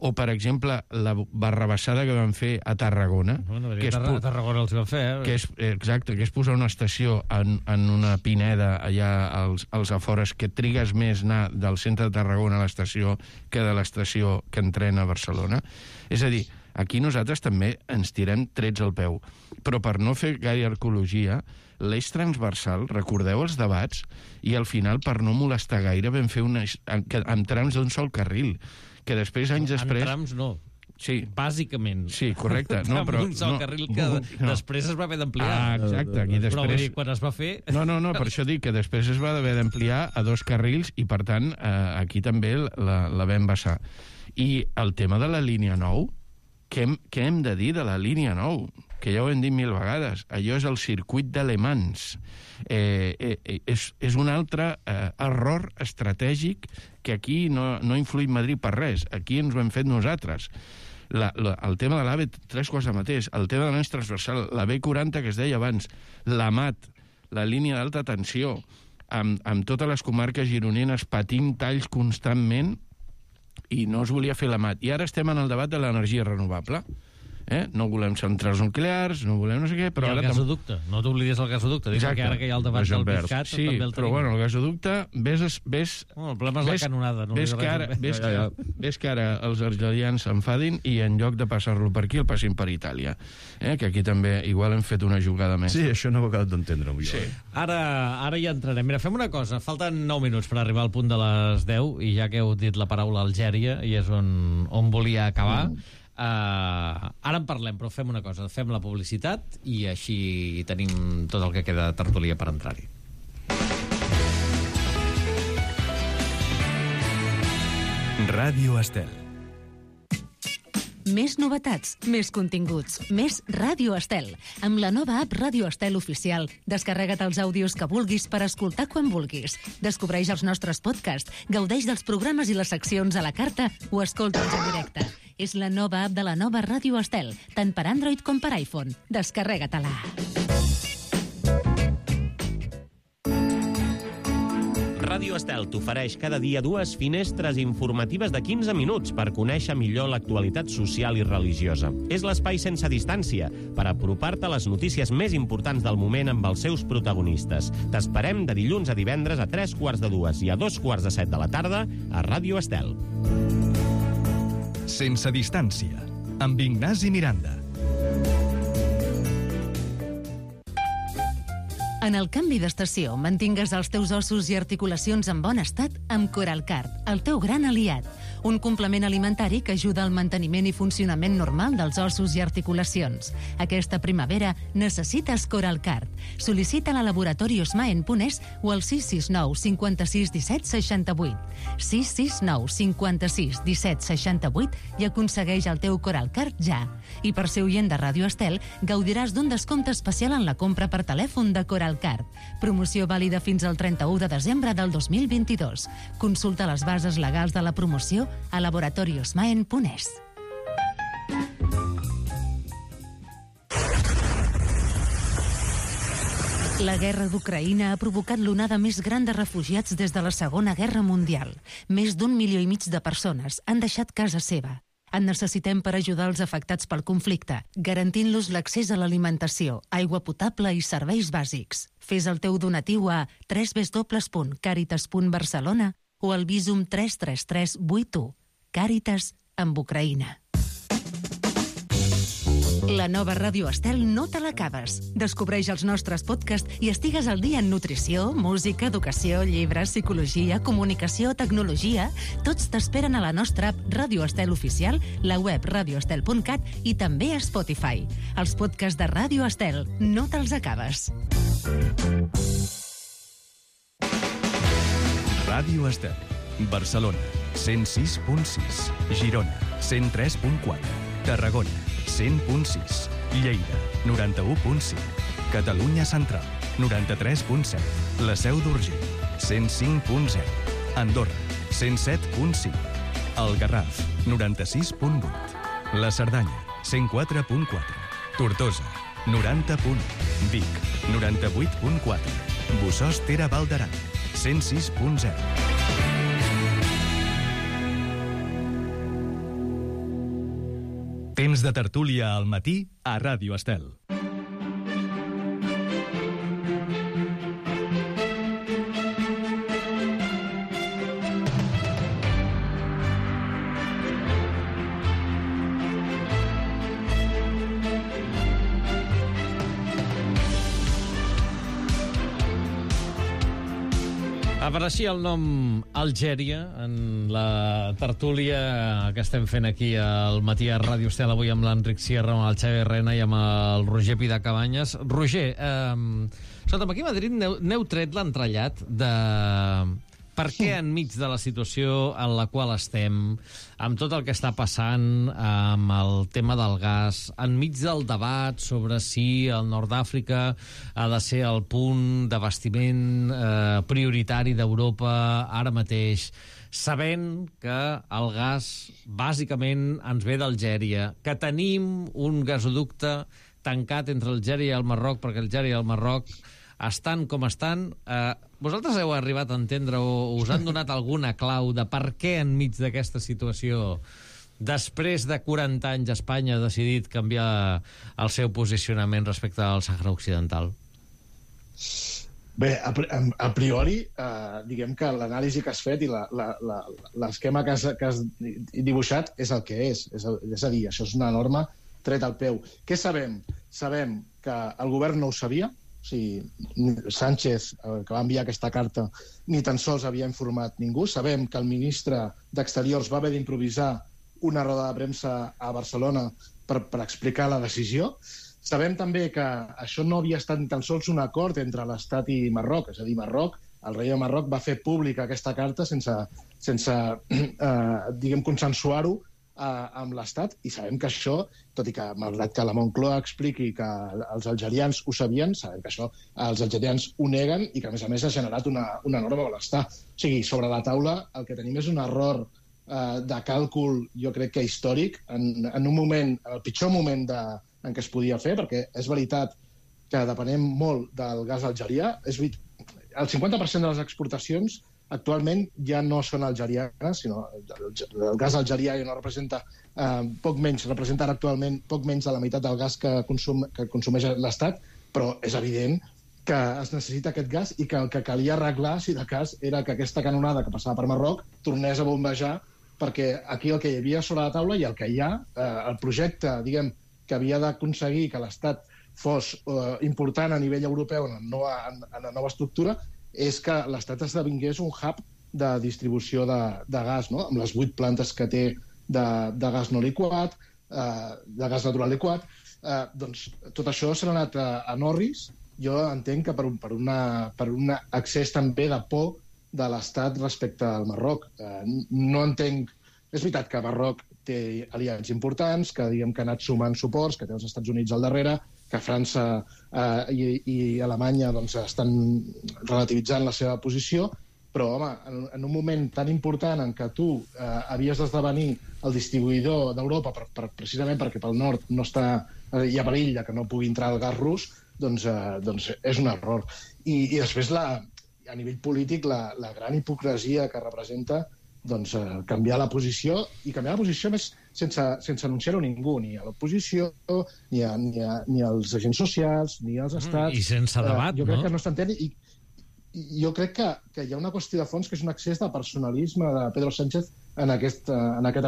o, per exemple, la barrabassada que van fer a Tarragona... Que a Tarragona els van fer, Exacte, que és posar una estació en una pineda allà als afores, que trigues més anar del centre de Tarragona a l'estació que de l'estació que entrena a Barcelona. És a dir, aquí nosaltres també ens tirem trets al peu. Però per no fer gaire arqueologia, l'eix transversal, recordeu els debats, i al final, per no molestar gaire, vam fer amb trams d'un sol carril, que després, anys després... En trams no. Sí. Bàsicament. Sí, correcte. No, però un sol carril que després es va haver d'ampliar. Exacte. Aquí després... Però vull dir, quan es va fer... No, per això dic que després es va haver d'ampliar a 2 carrils i, per tant, aquí també la vam vessar. I el tema de la línia 9, què hem de dir de la línia 9? Que ja ho hem dit 1000 vegades. Allò és el circuit d'Alemans. És un altre error estratègic que aquí no ha influït Madrid per res. Aquí ens ho hem fet nosaltres. El tema de l'AVE, 3 coses al mateix. El tema de l'eix transversal, la B40 que es deia abans, la MAT, la línia d'alta tensió, amb totes les comarques gironines patint talls constantment, i no es volia fer la MAT. I ara estem en el debat de l'energia renovable. No volem centrals nuclears, no volem no sé què, però i el gasoducte, no t'oblidis el gasoducte. Exacte. Ara que hi ha el debat del PISCAT, sí, també el tenim. Però bueno, el gasoducte, el problema és la canonada. Ves que ara els argelians s'enfadin i en lloc de passar-lo per aquí el passin per Itàlia. Que aquí també igual hem fet una jugada més. Sí, això no ho he acabat d'entendre avui. Sí. Ara ja entrarem. Mira, fem una cosa, falten 9 minuts per arribar al punt de les 10, i ja que heu dit la paraula Algèria, i és on volia acabar, ara en parlem, però fem una cosa, fem la publicitat i així tenim tot el que queda de tertúlia per entrar-hi. Ràdio Estel. Més novetats, més continguts, més Ràdio Estel. Amb la nova app Ràdio Estel Oficial, descarrega't els àudios que vulguis per escoltar quan vulguis. Descobreix els nostres podcasts, gaudeix dels programes i les seccions a la carta o escolta'ns en directe. És la nova app de la nova Ràdio Estel, tant per Android com per iPhone. Descarrega-te-la. Ràdio Estel t'ofereix cada dia 2 finestres informatives de 15 minuts per conèixer millor l'actualitat social i religiosa. És l'espai sense distància per apropar-te a les notícies més importants del moment amb els seus protagonistes. T'esperem de dilluns a divendres a 3:45 i a 2:45 de la tarda a Ràdio Estel. Sense distància, amb Ignasi Miranda. En el canvi d'estació, mantingues els teus ossos i articulacions en bon estat amb Coralcard, el teu gran aliat. Un complement alimentari que ajuda al manteniment i funcionament normal dels ossos i articulacions. Aquesta primavera necessites Coralcard. Sol·licita-la a Laboratori Osmaen.es o al 669 56 17 68. 669 56 17 68 i aconsegueix el teu Coralcard ja. I per ser oient de Ràdio Estel, gaudiràs d'un descompte especial en la compra per telèfon de Coralcard. Promoció vàlida fins al 31 de desembre del 2022. Consulta les bases legals de la promoció a laboratoriosmaen.es. La guerra d'Ucraïna ha provocat l'onada més gran de refugiats des de la Segona Guerra Mundial. Més d'1,5 milió de persones han deixat casa seva. En necessitem per ajudar els afectats pel conflicte, garantint-los l'accés a l'alimentació, aigua potable i serveis bàsics. Fes el teu donatiu a www.caritas.barcelona o al Visum 33381. Càritas amb Ucraïna. La nova Ràdio Estel no te l'acabes. Descobreix els nostres podcasts i estigues al dia en nutrició, música, educació, llibres, psicologia, comunicació, tecnologia. Tots t'esperen a la nostra app Ràdio Estel Oficial, la web radioestel.cat i també a Spotify. Els podcasts de Ràdio Estel no te'ls acabes. Ràdio Estel. Barcelona, 106.6. Girona, 103.4. Tarragona, 100.6. Lleida, 91.5. Catalunya Central, 93.7. La Seu d'Urgell, 105.0. Andorra, 107.5. El Garraf, 96.8. La Cerdanya, 104.4. Tortosa, 90.1. Vic, 98.4. Bossòst-Tere Val d'Aran, 106.0. Temps de tertúlia al matí a Ràdio Estel. Apareixia el nom Algèria en la tertúlia que estem fent aquí al matí a Ràdio Estel, avui amb l'Enric Sierra, amb el Xavi Rena i amb el Roger Pidacabanyes. Roger, escolta'm, aquí a Madrid n'heu tret l'entrellat de per què enmig de la situació en la qual estem, amb tot el que està passant amb el tema del gas, enmig del debat sobre si el nord d'Àfrica ha de ser el punt d'abastiment prioritari d'Europa ara mateix, sabent que el gas bàsicament ens ve d'Algèria, que tenim un gasoducte tancat entre Algèria i el Marroc, perquè Algèria i el Marroc estan com estan. Vosaltres heu arribat a entendre o us han donat alguna clau de per què enmig d'aquesta situació, després de 40 anys, Espanya ha decidit canviar el seu posicionament respecte al Sàhara Occidental? Bé, a priori, diguem que l'anàlisi que has fet i l'esquema que has dibuixat és el que és. És a dir, això és una norma tret al peu. Què sabem? Sabem que el govern no ho sabia. O sigui, Sánchez, que va enviar aquesta carta, ni tan sols havia informat ningú. Sabem que el ministre d'Exteriors va haver d'improvisar una roda de premsa a Barcelona per explicar la decisió. Sabem també que això no havia estat ni tan sols un acord entre l'Estat i Marroc. És a dir, Marroc, el rei de Marroc va fer pública aquesta carta sense consensuar-ho amb l'Estat, i sabem que això, tot i que malgrat que la Moncloa expliqui que els algerians ho sabien, sabem que això els algerians ho neguen i que a més ha generat una enorme malestar. O sigui, sobre la taula el que tenim és un error de càlcul, jo crec que històric, en un moment, el pitjor moment en què es podia fer, perquè és veritat que depenem molt del gas algerià. El 50% de les exportacions actualment ja no són algerianes, sinó el gas algerià ja no representa representa actualment poc menys de la meitat del gas que consumeix l'Estat, però és evident que es necessita aquest gas i que el que calia arreglar, si de cas, era que aquesta canonada que passava per Marroc tornés a bombejar, perquè aquí el que hi havia sobre la taula i el que hi ha, el projecte, diguem, que havia d'aconseguir que l'Estat fos important a nivell europeu en la nova estructura, és que l'Estat esdevingués un hub de distribució de gas, no? Amb les 8 plantes que té de gas no liquat, de gas natural liquat. Doncs tot això s'ha anat a Norris. Jo entenc que per un accés també de por de l'Estat respecte al Marroc. No entenc... És veritat que Marroc té aliats importants, que diguem que ha anat sumant suports, que té els Estats Units al darrere, que França i Alemanya doncs, estan relativitzant la seva posició, però, home, en un moment tan important en què tu havies d'esdevenir el distribuïdor d'Europa precisament perquè pel nord no hi ha perill que no pugui entrar el gas rus, doncs és un error. I després, a nivell polític, la gran hipocresia que representa canviar la posició, i canviar la posició més sense anunciar-ho a ningú, ni a l'oposició, ni als agents socials, ni als estats. I sense debat, jo crec que no s'entén, i jo crec que hi ha una qüestió de fons que és un excés de personalisme de Pedro Sánchez en aquest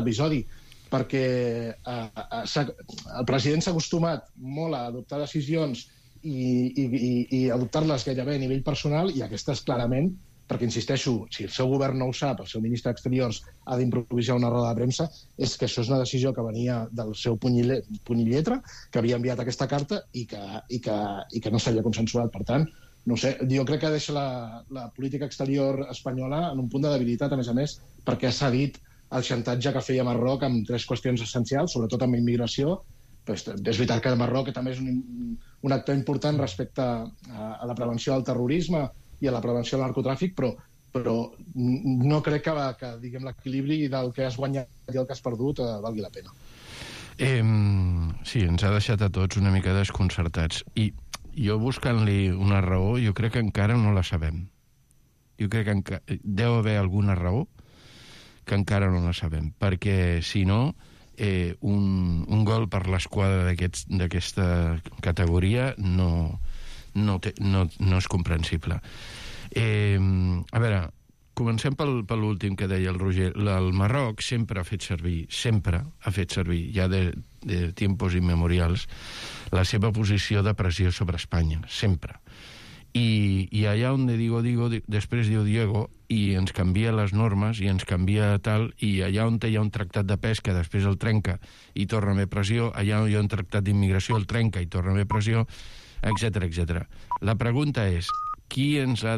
episodi, perquè el president s'ha acostumat molt a adoptar decisions i adoptar-les gairebé a nivell personal, i aquestes clarament, perquè, insisteixo, si el seu govern no ho sap, el seu ministre d'Exteriors ha d'improvisar una roda de premsa, és que això és una decisió que venia del seu puny i lletra, que havia enviat aquesta carta i que no s'havia consensuat. Per tant, no sé, jo crec que deixa la política exterior espanyola en un punt de debilitat, a més, perquè ha cedit el xantatge que feia Marroc amb 3 qüestions essencials, sobretot amb immigració. És veritat que Marroc també és un actor important respecte a la prevenció del terrorisme i a la prevenció del narcotràfic, però no crec que diguem, l'equilibri del que has guanyat i el que has perdut valgui la pena. Sí, ens ha deixat a tots una mica desconcertats. I jo buscant-li una raó, jo crec que encara no la sabem. Jo crec que deu haver alguna raó que encara no la sabem, perquè si no, un gol per l'esquadra d'aquesta categoria no és comprensible. A veure, comencem per l'últim que deia el Roger. El Marroc sempre ha fet servir, ja de tiempos immemorials, la seva posició de pressió sobre Espanya, sempre. I allà on digo, després diu Diego, i ens canvia les normes, i ens canvia tal, i allà on hi ha un tractat de pesca, després el trenca i torna a haver pressió, allà on hi ha un tractat d'immigració, el trenca i torna a haver pressió, etc. La pregunta és, qui ens ha de